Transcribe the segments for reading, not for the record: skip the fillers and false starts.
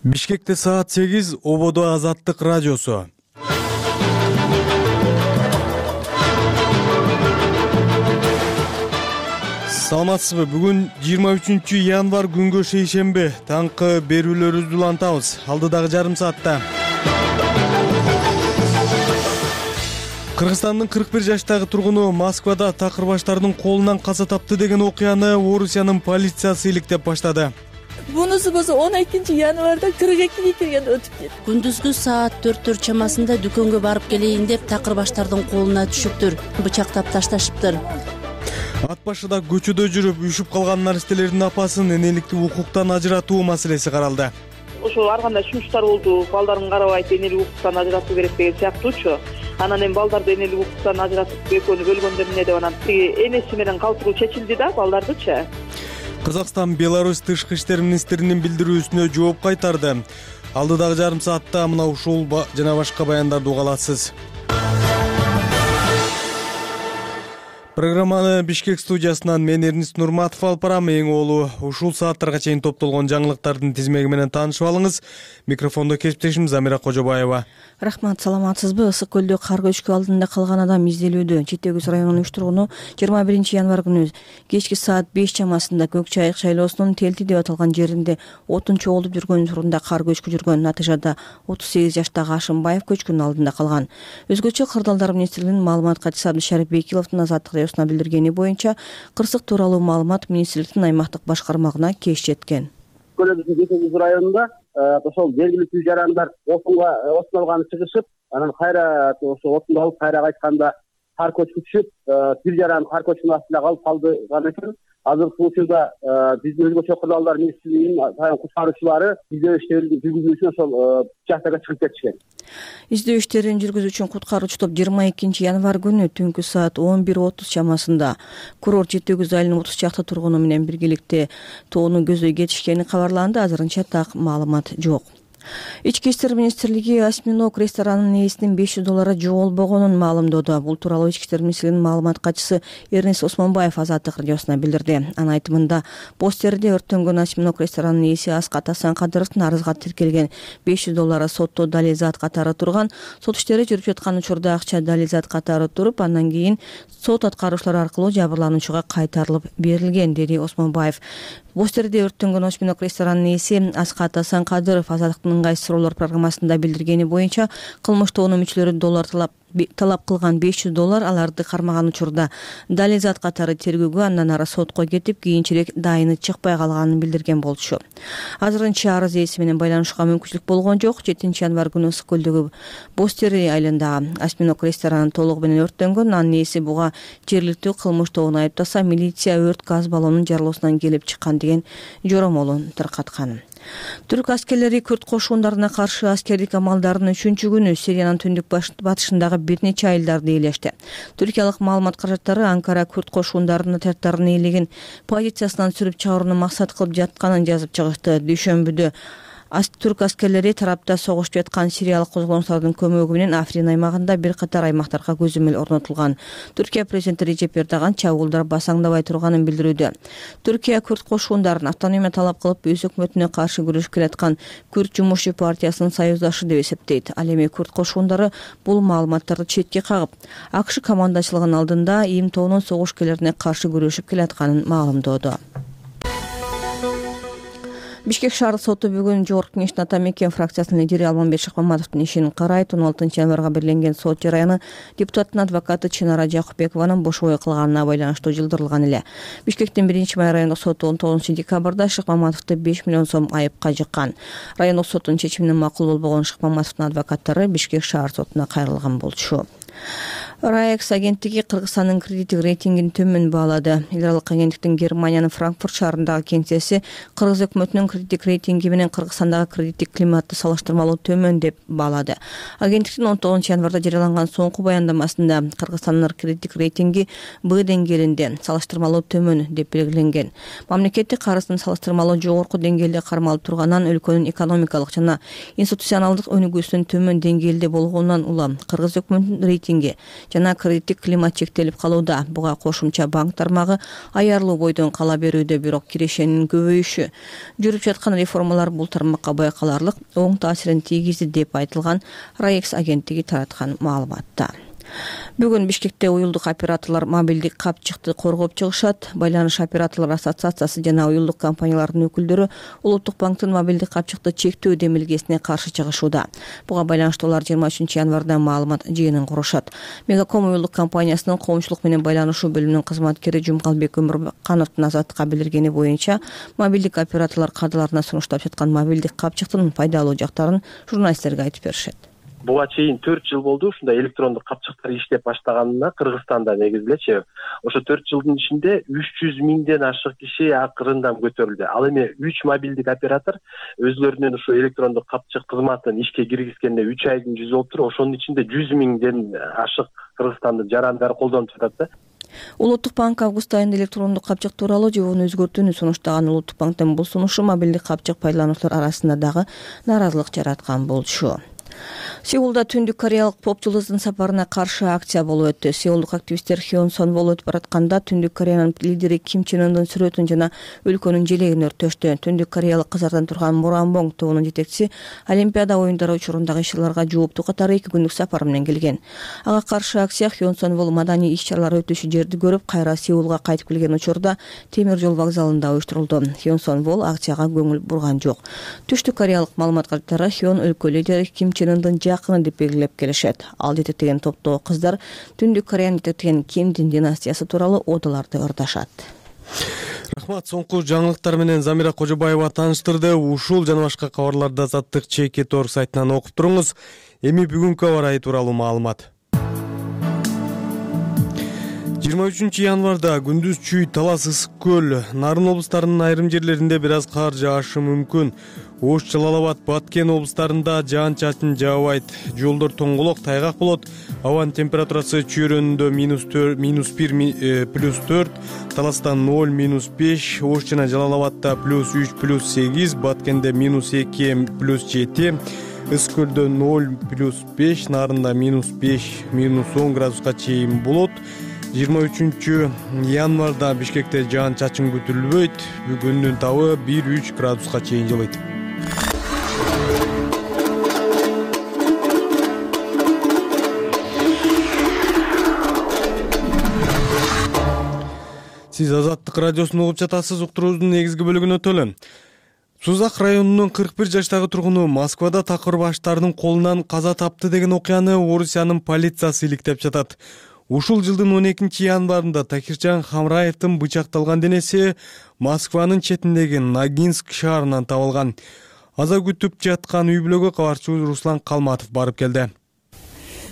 Бишкекте саат 8, Ободо Азаттык радиосу. Саламатсызбы? Бүгүн 23-январ күнгө шейшемби. Таңкы берүүлөрүбүздү улантабыз. Алдыдагы жарым саатта. Кыргызстандын 41 жаштагы тургуну Москвада такырбаштардын колунан каза тапты деген окуяны Орусиянын полициясы иликтеп баштады. Бунусу болсо 12-январда 42-ге киргенде өтүп кетти. Күндүзгү саат 4 чамасында дүкөнгө барып келейин деп такырбаштардын колуна түшүптүр, бычактап ташташыптыр. Ат башыда көчөдө жүрүп үшүп калган наристелердин апасын энеликтик укуктан ажыратуу маселеси каралды. Ошо ар кандай сунуштар болду, балдарын карабайт, энелик укуктан ажыратуу керек деген сыяктуучу. Анан эми балдарды энелик укуктан ажыратып экөөнү бөлгөндөр эмне деп анан энеси менен калтыруу чечилди да балдардычы. Кыргызстан Беларусь тышкы иштер министринин билдирүүсүнө жооп кайтарды. Алдыдагы жарым саатта мына ушул жана башка баяндарды уга аласыз. Программаны Бишкек студиясынан мен Эрнист Нурматов алып барам. Эң оолу ушул сааттарга чейин топтолгон жаңылыктардын тизмеги менен таанышып алыңыз. Микрофондо кесиптешим Замира Кожобаева. Рахмат, саламатсызбы? Ысык көлдө кар көчкү алдында калган адам изделүүдө. Жети Өгүз районунун 3 тургуну 21-январ күнү кечки саат 5 чамасында Көк Чайык шайлоосунун Телти деп аталган жеринде отун чогултуп жүргөн турунда кар көчкү жүргөн. Натыйжада 38 жаштагы Ашымбаев көчкүнүн алдында калган. Өзгөчө кырдаалдар министрлигинин маалымат катчысы Абдышарип Бекиловдун Азаттык радиосуна билдиргени боюнча, кырсык тууралуу маалымат министрликтин аймактык башкармагына кеч жеткен. Жети Өгүз районунда ошол белгилүү тил жарандар отун алганы чыгышып, анан кайра ошо отунду алып кайра кайтканда кар көчкү түшүп, тил жаран кар көчкүнүн астына калып калдыган экен. Азыркы учурда биздин өзгөчө кырдаалдар министрлигинин куткаруучулары издөө иштерин жүргүзүү үчүн ошол участокко чыгып кетишкен. Издөө иштерин жүргүзүү үчүн куткаруучу топ 22-январ күнү түнкү саат 11:30 чамасында курорт Жети Өгүз айылынын 30 чакты тургуну менен биргеликте тоону көздөй кетишкени кабарланды. Азырынча так маалымат жок. Ички иштер министрлиги Осьминог ресторанынын ээсинин $500 жоголбогонун маалымдоодо. Бул тууралуу Ички иштер министрлигинин маалымат катчысы Эрнист Осмонбаев Азаттык радиосуна билдирди. Анын айтымында, постерде өрттөнгөн Осьминог ресторанынын ээси Аскат Асанкадыровдун арызга тиркелген $500 сотто далилзат катары турган. Сот иштери жүрүп жаткан учурда акча далилзат катары туруп, андан кийин сот аткаруучулар аркылуу жабырлануучуга кайтарылып берилген, деди Осмонбаев. Постерде өрттөнгөн Осьминог ресторанынын ээси Аскат Асанкадыров Азаттыктын ыңгайсыз суроолор программасында билдиргени боюнча, кылмыштуу мүчөлөрү талап кылган $500 аларды кармаган учурда далилзат катары тергөөгө, андан ары сотко кетип, кийинчерээк дайыны чыкпай калганын билдирген болчу. Азырынча арыз ээси менен байланышууга мүмкүнчүлүк болгон жок. 7-январ күнү Ысык көлдөгү Бостери айылындагы Осьминог рестораны толугу менен өрттөнгөн. Анын ээси буга жергиликтүү кылмыш тобун айыптаса, милиция өрт газ баллонунун жарылуусунан келип чыккан деген жоромолун таркаткан. Түрк аскерлери күрд кошундарына каршы аскердик амалдардын 3-күнү Сириянын түндүк батышындагы бир нече айылдарды ээлешти. Түркиялык маалымат каражаттары Анкара күрд кошундарынын отряддарын ээлеген позициясынан сүрүп чыгарууну максат кылып жатканын жазып чыгышты. Дүйшөмбүдө түрк аскерлери тарапта согушуп жаткан сириялык козголоңчулардын көмөгү менен Африн аймагында бир катар аймактарга көзөмөл орнотулган. Түркия президенти Режеп Эрдоган чабуулдар басаңдабай турганын билдирүүдө. Түркия күрд кошундарын автономия талап кылып, өз өкмөтүнө каршы күрөшүп келаткан Күрд жумушчу партиясынын союздашы деп эсептейт. Ал эми күрд кошундары бул маалыматтарды четке кагып, АКШ командачылыгынын алдында ИИМ тобунун согушкерлерине каршы күрөшүп келатканын маалымдоодо. Бишкек шаардык соту бүгүн Жогорку Кеңештин Ата Мекен фракциясынын лидери Алмамбет Шыкмаматовдун ишин карайт. 16-январга белгиленген сот жараяны депутаттын адвокаты Чынара Жакупбекованын бошобой кылганына байланыштуу жылдырылган эле. Бишкектин 1-май райондук соту 19-декабрда Шыкмаматовду 5 миллион сом айыпка жыккан. Райондук соттун чечимине макул болбогон Шыкмаматовдун адвокаттары Бишкек шаар сотуна кайрылган болчу. РАЭКС агенттиги Кыргызстандын кредиттик рейтингин төмөн баалады. Эл аралык агенттиктин Германиянын Франкфурт шаарындагы кеңсеси Кыргыз өкмөтүнүн кредиттик рейтинги менен Кыргызстандагы кредиттик климатты салыштырмалуу төмөн деп баалады. Агенттиктин 19-январда жарыяланган соңку баяндамасында Кыргызстандын кредиттик рейтинги Б деңгээлинде салыштырмалуу төмөн деп белгиленген. Мамлекеттик карыздын салыштырмалуу жогорку деңгээлде кармалып турганынан өлкөнүн экономикалык жана институционалдык өнүгүүсүнүн төмөн деңгээлде болгонунан улам Кыргыз өкмөтүнүн рейтинги рейтинги жана кредиттик климат чектелип калууда. Буга кошумча банк тармагы аярлуу бойдон кала берүүдө, бирок кирешенин көбөйүшү жүрүп жаткан реформалар бул тармакка байкаларлык оң таасирин тийгизди деп айтылган Раекс агенттиги тараткан маалыматта. Бүгүн Бишкекте уюлдук операторлор мобилдик капчыкты коргоп чыгышат. Байланыш операторлор ассоциациясы жана уюлдук компаниялардын өкүлдөрү Улуттук банктын мобилдик капчыкты чектөө демилгесине каршы чыгышууда. Буга байланыштуу алар 23 январда маалымат жыйынын курушат. Мегаком уюлдук компаниясынын коомчулук менен байланышуу бөлүмүнүн кызматкери Жумгалбек Өмүркановдун Азаттыкка билдиргени боюнча, мобилдик операторлор кардаларына сунуштап жаткан мобилдик капчыктын пайдалуу жактарын журналисттерге айтып беришет. Буга чейин 4 жыл болду ушундай электрондук капчыктар иштеп баштаганына Кыргызстанда негизи элечи. Ошо 4 жылдын ичинде 300 миңден ашык киши акырындан көтөрүлдү. Ал эми 3 мобилдик оператор өзлөрүнүн ушу электрондук капчык кызматын ишке киргизгенде 3 айдын жүзү болуптур. Ошонун ичинде 100 миңден ашык Кыргызстандын жарандары колдонуп жатат да. Улуттук банк август айында электрондук капчык тууралуу жобону өзгөртүүнү сунуштаган. Улуттук банктын бул сунушу мобилдик капчык пайдалануучулар арасында дагы нааразылык жараткан болчу. Сеулда түндүк кореялык поп жылдыздын сапарына каршы акция болуп өттү. Сеулдук активисттер Хён Сон Вол өтүп баратканда түндүк Кореянын лидери Ким Чен Ындын сүрөтүн жана өлкөнүн желегин өрттөштү. Түндүк кореялык кызардан турган Муранбонг тобунун жетекчиси Олимпиада оюндары учурундагы иш-чараларга жооптуу катары 2 күндүк сапар менен келген. Ага каршы акция Хён Сон Вол маданий иш-чаралар өтүшү жерди көрүп, кайра Сеулга кайтып келген учурда темир жол вокзалында уюштурулду. Хён Сон Вол акцияга көңүл бурган жок. Түштүк кореялык маалыматкарлар Хён өлкө лидери Ким Чен Ындын жакыны деп белгилеп келишет. Ал жетектеген топтогу кыздар Түндүк Кореяны жетектеген Кимдин династиясы тууралуу одоларды ырдашат. Рахмат. Соңку жаңылыктар менен Замира Кожобаева тааныштырды. Ушул жана башка кабарларды Азаттык ЧК.org сайтынан окуп туруңуз. Эми бүгүнкү аба ырайы тууралуу маалымат. 23 январда күндүз чүй, Талас, Ысык көл, Нарын облустарынын айрым жерлеринде бир аз кар жаашы мүмкүн. Ош, Жалал Абад, Баткен облустарында жаан-чачын жаабайт. Жолдор тоңголок, тайгак болот. Абанын температурасы чүйрөндө -1 +4, Таласта 0 -5, Ош жана Жалал Абадта +3 +8, Баткенде -2 +7, Ысык көлдө 0 +5, Нарында -5 -10 градуска чейин болот. 23 январда Бишкекте жаан-чачын күтүлбөйт. Күндүн табы 1-3 градуска чейин жылыйт. Сиз Азаттык радиосун угуп жатасыз. Уктуруубуздун негизги бөлүгүнө өтөлү. Сузак районунун 41 жаштагы тургуну Москвада такыр баштардын колунан каза тапты деген окуяны Орусиянын полициясы иликтеп жатат. Ушул жылдын 12 январында Такиржан Хамраевдин бычакталган денеси Москванын четиндеги Ногинск шаарынан табылган. Аза күтүп жаткан үй бүлөгө кабарчы Руслан Калматов барып келди.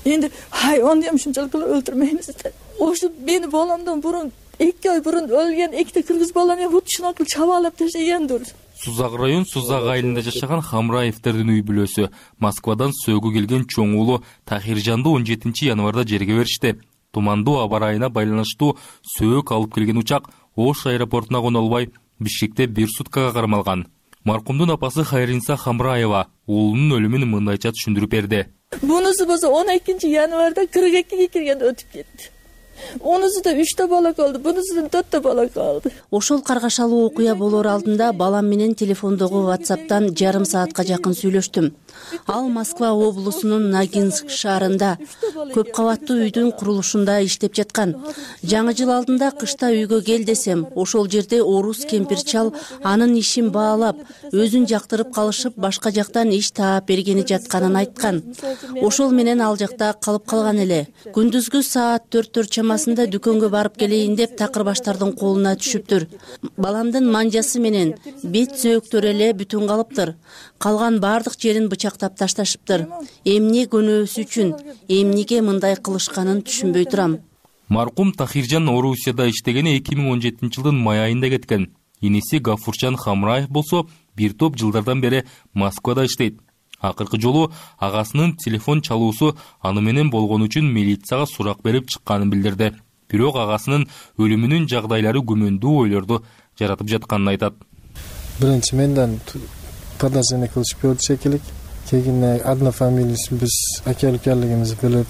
Эndi хайван дем ушунчалык өлтүрмөйбүз. Ошо мени баламдан бурун 2 ай бурун өлгөн 2 кыргыз баланы бутушуна чабалап ташлагандыр. Сузак район Сузак айылында жашаган Хамраевдердин үй бүлөсү Москвадан сөөгү келген чоң уулу Тахиржанды 17 январда жерге беришти. Тумандуу аба ырайына байланыштуу сөök алып келген учак Ош аэропортуна коно албай Бишкекте 1 суткага кармалган. Маркумдун апасы Хайринса Хамраева уулунун өлүмүн мындайча түшүндүрүп берди. Бунусу болсо 12 январда 42 киргенде өтүп кетти. Онусуда 3 бала калды, бунусудан 4 бала калды. Ошол каргашалуу окуя болор алдында балам менен телефондогу WhatsApp'тан жарым саатка жакын сүйлөштүм. Ал Москва облусунун Ногинск шаарында көп кабаттуу үйдүн курулушунда иштеп жаткан. Жаңы жыл алдында кышта үйгө кел десем, ошол жерде орус кемпир-чал анын ишин баалап, өзүн жактырып калышып, башка жактан иш таап бергени жатканын айткан. Ошол менен ал жакта калып калган эле. Күндүзгү саат 4 чамасында дүкөнгө барып келейин деп такыр баштардын колуна түшүптүр. Баламдын манжасы менен бет сөөктөрү эле бүтүн калыптыр. Калган бардык жерин бычактап ташташыптыр. Эмне көнөөсү үчүн, эмнеге мындай кылышканын түшүнбөй турам. Маркум Тахиржан Орусияда иштегени 2017 жылдын май айында кеткен. Иниси Гафурчан Хамраев болсо бир топ жылдардан бери Москвада иштейт. Акыркы жолу агасынын телефон чалуусу аны менен болгон үчүн милицияга сурак берип чыкканын билдирди. Бирок агасынын өлүмүнүн жагдайлары күмөндүү ойлорду жаратып жатканын айтат. Биринчи менден подозрение кылышып көрдү шекелик. Кийин однофамилийлүү биз аке-укалыгыбызды билип.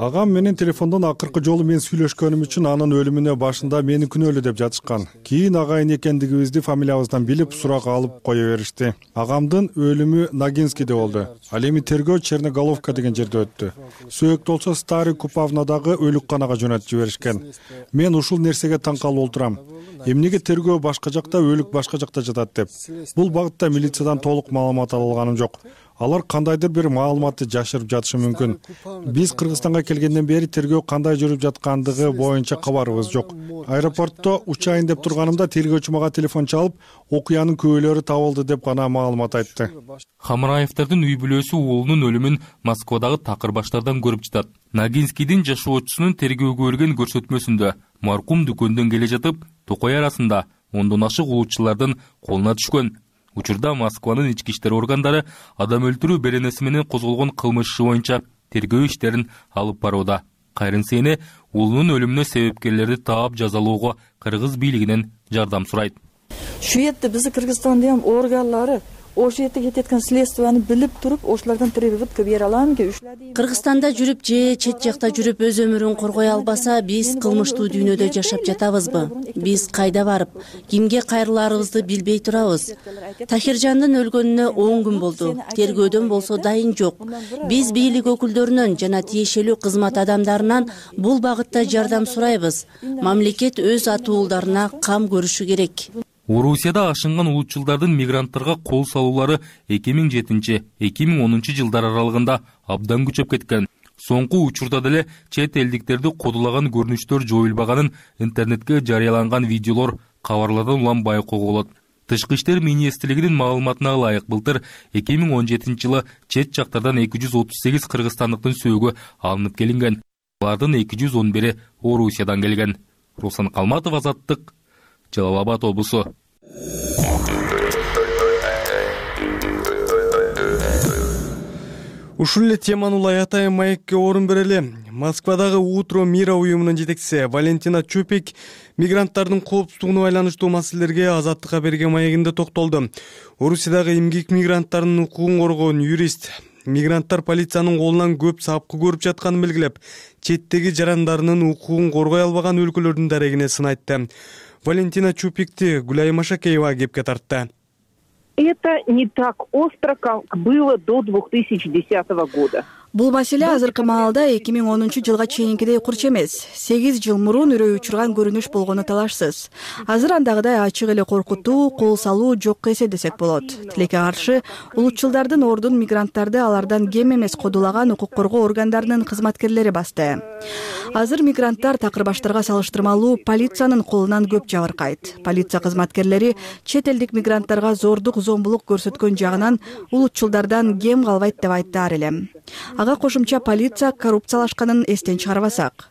Агам менен телефондон акыркы жолу мен сүйлөшкөнүм үчүн анын өлүмүнө башында мени күнөөлүү деп жатышкан. Кийин агайын экендигибизди фамилиябыздан билип сурак алып кое беришти. Агамдын өлүмү Ногинскийде болду. Ал эми тергөө Черноголовка деген жерде өттү. Сөөктү болсо Старый Купавнадагы өлүкканага жөнөтүп жиберишкен. Мен ушул нерсеге таң калып отурам. Эмнеге тергөө башка жакта, өлүк башка жакта жатат деп. Бул багытта милициядан толук маалымат алганым жок. Алар кандайдыр бир маалыматты жашырып жатышы мүмкүн. Биз Кыргызстанга келгенден бери тергөө кандай жүрүп жаткандыгы боюнча кабарыбыз жок. Аэропортто учайын деп турганымда тергөөчү мага телефон чалып, окуянын күбөлөрү табылды деп гана маалымат айтты. Хамраевдардын үй бүлөсү уулунун өлүмүн Москвадагы такыр баштардан көрүп жатат. Ногинскийдин жашоочусунун тергөөгө берген көрсөтмөсүндө маркум дүкөндөн келе жатып, токой арасында ондон ашык улутчулардын колуна түшкөн. Учурда Москванын ички иштер органдары адам өлтүрүү беренеси менен козголгон кылмыш иши боюнча тергөө иштерин алып барууда. Кайрын Сейне уулунун өлүмүнө себепкерлерди таап жазалоого кыргыз бийлигинен жардам сурайт. Şu yerде bizi Kırgızstandın organları ошол жерде кетип аткан следствияны билип туруп, ошолордон прививка бере аламынбы? Кыргызстанда жүрүп же чет жакта жүрүп өз өмүрүн коргой албаса, биз кылмыштуу дүйнөдө жашап жатабызбы? Биз кайда барып, кимге кайрыларыбызды билбей турабыз. Тахиржандын өлгөнүнө 10 күн болду. Тергөөдөн болсо дайын жок. Биз бийлик өкүлдөрүнөн жана тиешелүү кызмат адамдарынан бул багытта жардам сурайбыз. Мамлекет өз атуулдарына кам көрүшү керек. Орусияда ашынган улутчулдардын мигранттарга кол салуулары 2007-2010 жылдар аралыгында абдан күчөп кеткен. Соңку учурда деле чет элдиктерди кодулаган көрүнүштөр жоюлбаганын интернетке жарыяланган видеолор кабарлардан улам байкоого болот. Тышкы иштер министрлигинин маалыматына ылайык былтыр 2017 жылы чет жактардан 238 кыргызстандыктын сөөгү алынып келинген. Алардын 211-и Орусиядан келген. Руслан Калматов, Азаттык, Жалал Абад облусу. Ушул эле теманы улай атайын маекке орун берели. Москвадагы Утро мира уюмунун жетекчиси Валентина Чупик мигранттардын коопсуздугуна байланыштуу маселелерге Азаттыкка берген маегинде токтолду. Орусиядагы эмгек мигранттарынын укугун коргоон юрист мигранттар полициянын колунан көп сапкы көрүп жатканын белгилеп, четтеги жарандарынын укугун коргой албаган өлкөлөрдүн дарегине сын айтты. Валентина Чупикти Гуляй Машакеева кепке тартты. Это не так остро, как было до 2010 года. Бул маселе азыркы маалда 2010 жылга чейинкидей курч эмес. 8 жыл мурун үрөй учурган көрүнүш болгону талашсыз. Азыр андагыдай ачык эле коркутуу, кол салуу жок эсе десек болот. Тилекке каршы улутчулдардын ордун мигранттарды алардан кем эмес кодулаган укук коргоо органдарынын кызматкерлери басты. Азыр мигранттар такырбаштарга салыштырмалуу полициянын колунан көп жабыркайт. Полиция кызматкерлери чет элдик мигранттарга зордук, зомбулук көрсөткөн жагынан улутчулдардан кем калбайт деп айттаар элем. Ага кошумча полиция коррупциялашканын эстен чыгарбасак.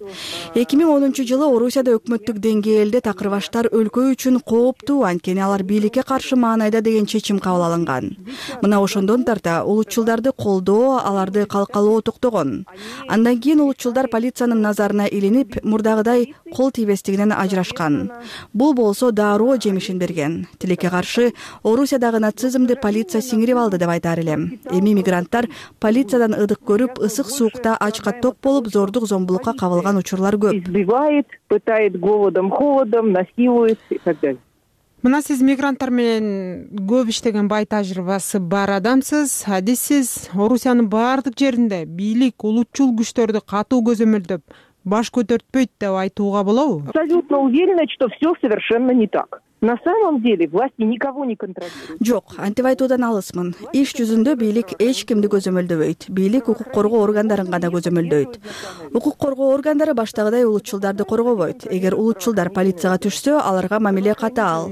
2010 жылы Орусияда өкмөттүк деңгээлде такырбаштар өлкө үчүн кооптуу, анткени алар бийликке каршы маанайда деген чечим кабыл алынган. Мына ошондон тарта улутчулдарды колдоо, аларды калкалоо токтогон. Андан кийин улутчулдар полициянын назарына илинип, мурдагыдай кол тийбестигинен ажырашкан. Бул болсо дароо жемишин берген. Тилекке каршы Орусиядагы нацизмди полиция сиңирип алды деп айтаар элем. Эми мигранттар полициядан ыдык көрүп, ысык суукта ачка ток болуп, зордук, зомбулукка кабылган учурлар көп. Избивает, пытает голодом, холодом, насилует и так далее. Мына сиз мигранттар менен көп иштеген бай тажрыйбасы бар адамсыз, адиссиз. Орусиянын баардык жеринде бийлик улутчул күчтөрдү катуу көзөмөлдөп, баш көтөртпөйт деп айтууга болобу? Абсолютно уверена, что все совершенно не так. На самом деле власти никого не контролируют. Жок, антип айтуудан алысмын. Иш жүзүндө бийлик эч кимди көзөмөлдөбөйт. Бийлик укук коргоо органдарын гана көзөмөлдөйт. Укук коргоо органдары баштагыдай улутчулдарды коргобойт. Эгер улутчулдар полицияга түшсө, аларга мамиле катаал.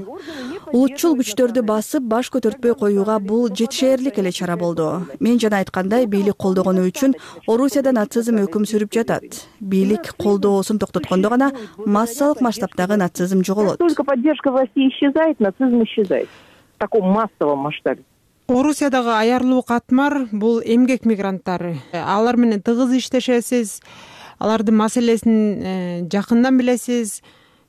Улутчул күчтөрдү басып, баш көтөртпөй коюуга бул жетишээрлик эле чара болду. Мен жана айткандай, бийлик колдогону үчүн Орусияда нацизм өкүм сүрүп жатат. Бийлик колдоосун токтоткондо гана массалык масштабтагы нацизм жоголот. Только поддержка власти исчезает, нацизм исчезает. В таком массовом масштабе. Орусиядагы аярлуу катмар бул эмгек мигранттары. Алар менен тыгыз иштешесиз, алардын маселесин жакындан билесиз.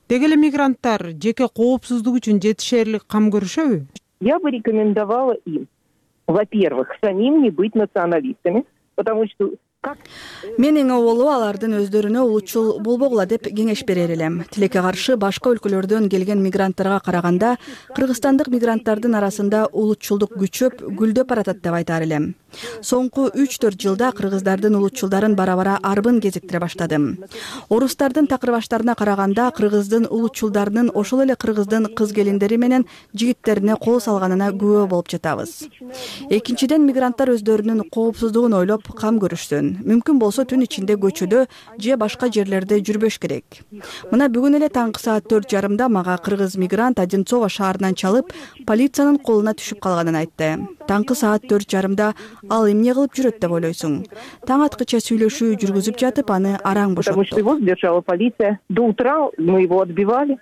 Деги эле мигранттар жеке коопсуздук үчүн жетишээрлик кам көрүшөбү? Я бы рекомендовала им, во-первых, самим не быть националистами, потому что Мен эң оболу алардын өздөрүнө улутчул болбогула деп кеңеш берер элем. Тилекке каршы башка өлкөлөрдөн келген мигранттарга караганда кыргызстандык мигранттардын арасында улутчулдук күчөп, гүлдөп баратат деп айтар элем. Соңку 3-4 жылда кыргыздардын улутчулдарын бара-бара арбын кезиктире баштадым. Орустардын такырбаштарына караганда кыргыздын улутчулдарынын ошол эле кыргыздын кыз келиндери менен жигиттерине кол салганына күбө болуп жатабыз. Экинчиден, мигранттар өздөрүнүн коопсуздугун ойлоп кам көрүшсүн. Мүмкүн болсо түн ичинде көчөдө же башка жерлерде жүрбөш керек. Мына бүгүн эле таңкы саат 4:30 мага кыргыз мигрант Одинцово шаарынан чалып, полициянын колуна түшүп калганын айтты. Таңкы саат 4:30 ал эмне кылып жүрөт деп ойлойсуң? Таң аткыча сүйлөшүү жүргүзүп жатып, аны араң бошотту. Потому что его задержала полиция. До утра мы его отбивали.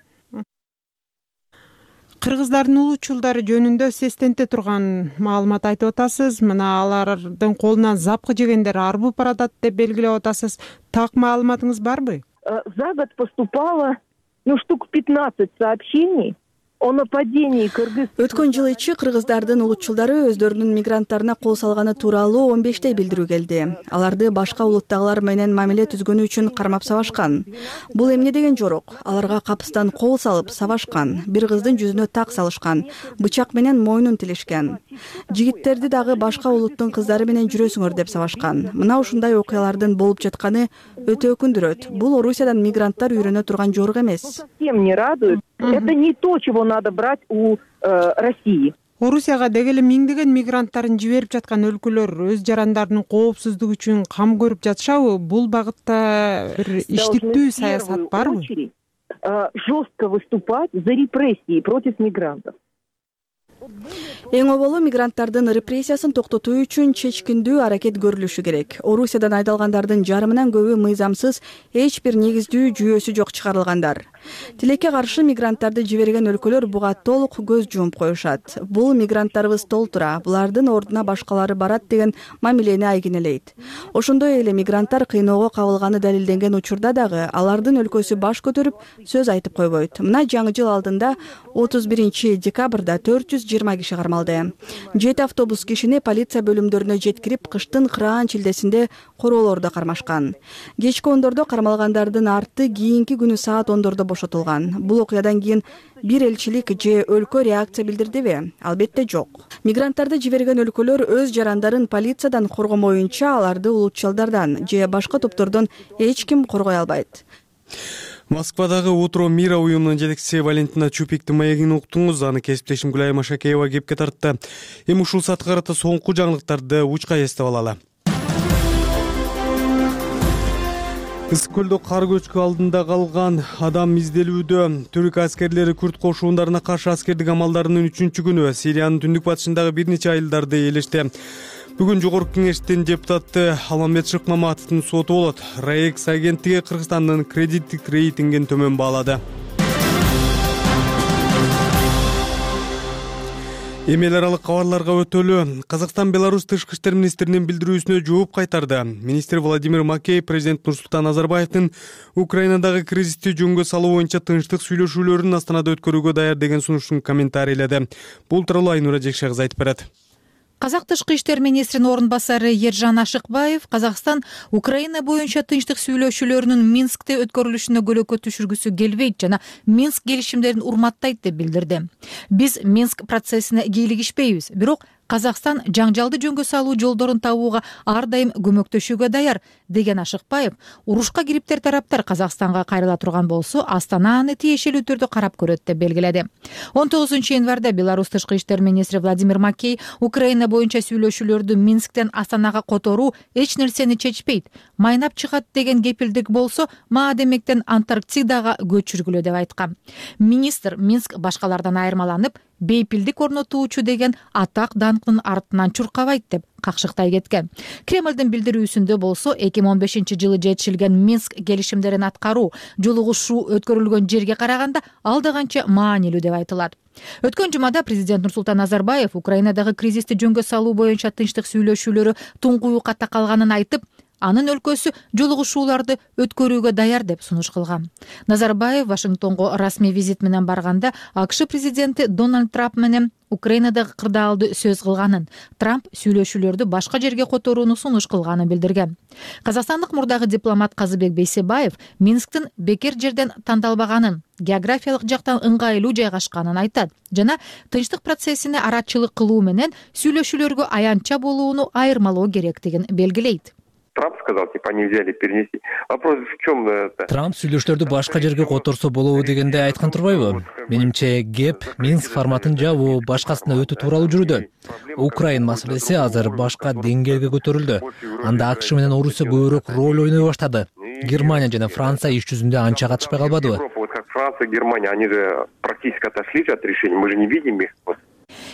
Кыргыздардын улутчулдары жөнүндө сестенте турган маалымат айтып атасыз. Мына алардын колунан запкы жегендер арбып баратат деп белгилеп атасыз. Так маалыматыңыз барбы? За год поступало, штук 15 сообщений о нападении кыргыз. Өткөн жыл ичи кыргыздардын улутчулдары өздөрүнүн мигранттарына кол салганы тууралуу 15 билдирүү келди. Аларды башка улуттагылар менен мамиле түзгөнү үчүн кармап сабашкан. Бул эмне деген жорок? Аларга капыстан кол салып сабашкан, бир кыздын жүзүнө так салышкан, бычак менен мойнун тилишкен. Жигиттерди дагы башка улуттун кыздары менен жүрөсүңөр деп сабашкан. Мына ушундай окуялардын болуп жатканы өтө өкүндүрөт. Бул Орусиядан мигранттар үйрөнө турган жорук эмес. Совсем не радует. Это не то, чего надо брать у России. Орусияга деги эле миңдеген мигранттарын жиберип жаткан өлкөлөр өз жарандарынын коопсуздугу үчүн кам көрүп жатышабы? Бул багытта бир иштиктүү саясат барбы? Жестко выступать за репрессии против мигрантов. Эң оболу мигранттардын репрессиясын токтотуу үчүн чечкиндүү аракет көрүлүшү керек. Орусиядан айдалгандардын жарымынан көбү мыйзамсыз, эч бир негиздүү жүйөсү жок чыгарылгандар. Тилекке каршы мигранттарды жиберген өлкөлөр буга толук көз жумуп коюшат. Бул мигранттарыбыз толтура, булардын ордуна башкалары барат деген мамилени айгинелейт. Ошондой эле мигранттар кыйноого кабылганы далилденген учурда дагы алардын өлкөсү баш көтөрүп сөз айтып койбойт. Мына жаңы жыл алдында 31 декабрда 420 киши кармалды. 7 автобус кишини полиция бөлүмдөрүнө жеткирип, кыштын кыраан чилдесинде короолордо кармашкан. Кечки ондордо кармалгандардын арты кийинки күнү саат 10-дордо бошотулган. Бул окуядан кийин бир элчилик же өлкө реакция билдирдиби? Албетте жок. Мигранттарды жиберген өлкөлөр өз жарандарын полициядан коргомоюнча аларды улутчулдардан же башка топтордон эч ким коргой албайт. Москвадагы Утро мира уюмунун жетекчиси Валентина Чупиктин маегин уктуңуз. Аны кесиптешим Гүлай Машакеева кепке тартты. Эми ушул саатка карата соңку жаңылыктарды учка эстеп алалы. Ысык көлдө кар көчкү алдында калган адам изделүүдө. Түрк аскерлери Күрд кошундарына каршы аскердик амалдарынын 3-күнү Сириянын түндүк батышындагы бир нече айылдарды ээлешти. Бүгүн жогорку кеңештин депутаты Алмамет Шыкмаматовдун соту болот. Раекс агенттиги Кыргызстандын кредиттик рейтингин төмөн баалады. Эми эл аралык кабарларга өтөлү. Казакстан Беларусь тышкы иштер министринин билдирүүсүнө жооп кайтарды. Министр Владимир Макей президент Нурсултан Назарбаевдин Украинадагы кризисти жөнгө салуу боюнча тынчтык сүйлөшүүлөрүн Астанада өткөрүүгө даяр деген сунушун комментарийледи. Бул тууралуу Айнура Жекше кызы айтып берет. Казак тышкы иштер министринин орун басары Ержан Ашыкбаев Казакстан Украина боюнча тынчтык сүйлөшүүлөрүнүн Минскте өткөрүлүшүнө көлөкө түшүргүсү келбейт жана Минск келишимдерин урматтайт деп билдирди. Биз Минск процессине кийлигишпейбиз, бирок Казакстан жаңжалды жөнгө салуу жолдорун табууга ар дайым көмөктөшүүгө даяр деген Ашыкбаев, урушка кириптер тараптар Казакстанга кайрыла турган болсо, Астана аны тиешелүү түрдө карап көрөт деп белгиледи. 19-январда Беларусь тышкы иштер министри Владимир Макей Украина боюнча сүйлөшүүлөрдү Минсктен Астанага которуу эч нерсени чечпейт, майнап чыгат деген кепилдик болсо, маадемектен Антарктидага көчүргүлө деп айткан. Министр Минск башкалардан айырмаланып, бейпилдик орнотуучу деген атак даңкынын артынан чуркабайт деп какшыктай кеткен. Кремлдин билдирүүсүндө болсо 2015-жылы жетишилген Минск келишимдерин аткаруу, жолугушуу өткөрүлгөн жерге караганда алда канча маанилүү деп айтылат. Өткөн жумада президент Нурсултан Назарбаев Украинадагы кризисти жөнгө салуу боюнча тынчтык сүйлөшүүлөрү туңгуюкка такалганын айтып, анын өлкөсү жолугушууларды өткөрүүгө даяр деп сунуш кылган. Назарбаев Вашингтонго расмий визит менен барганда АКШ президенти Дональд Трамп менен Украинадагы кырдаалды сөз кылганын, Трамп сүйлөшүүлөрдү башка жерге которууну сунуш кылганын билдирген. Казакстандык мурдагы дипломат Казыбек Бейсебаев Минсктин бекер жерден тандалбаганын, географиялык жактан ыңгайлуу жайгашканын айтат жана тынчтык процессине арачылык кылуу менен сүйлөшүүлөргө аянтча болууну айырмалоо керектигин белгилейт. Трамп сказал, типа, они взяли перенести. Вопрос в чем? Трамп сүйлөшүүлөрдү башка жерге которсо болобу дегенде айткан турбайбы? Менимче кеп Минск форматын жабуу, башкасына өтүү тууралуу жүрүүдө. Украин маселеси азыр башка деңгээлге көтөрүлдү. Анда АКШ менен Орусия көбүрөөк роль ойной баштады. Германия жана Франция иш жүзүндө анча катышпай калбадыбы? Как Франция, Германия, они же практически отошли от решения. Мы же не видим их.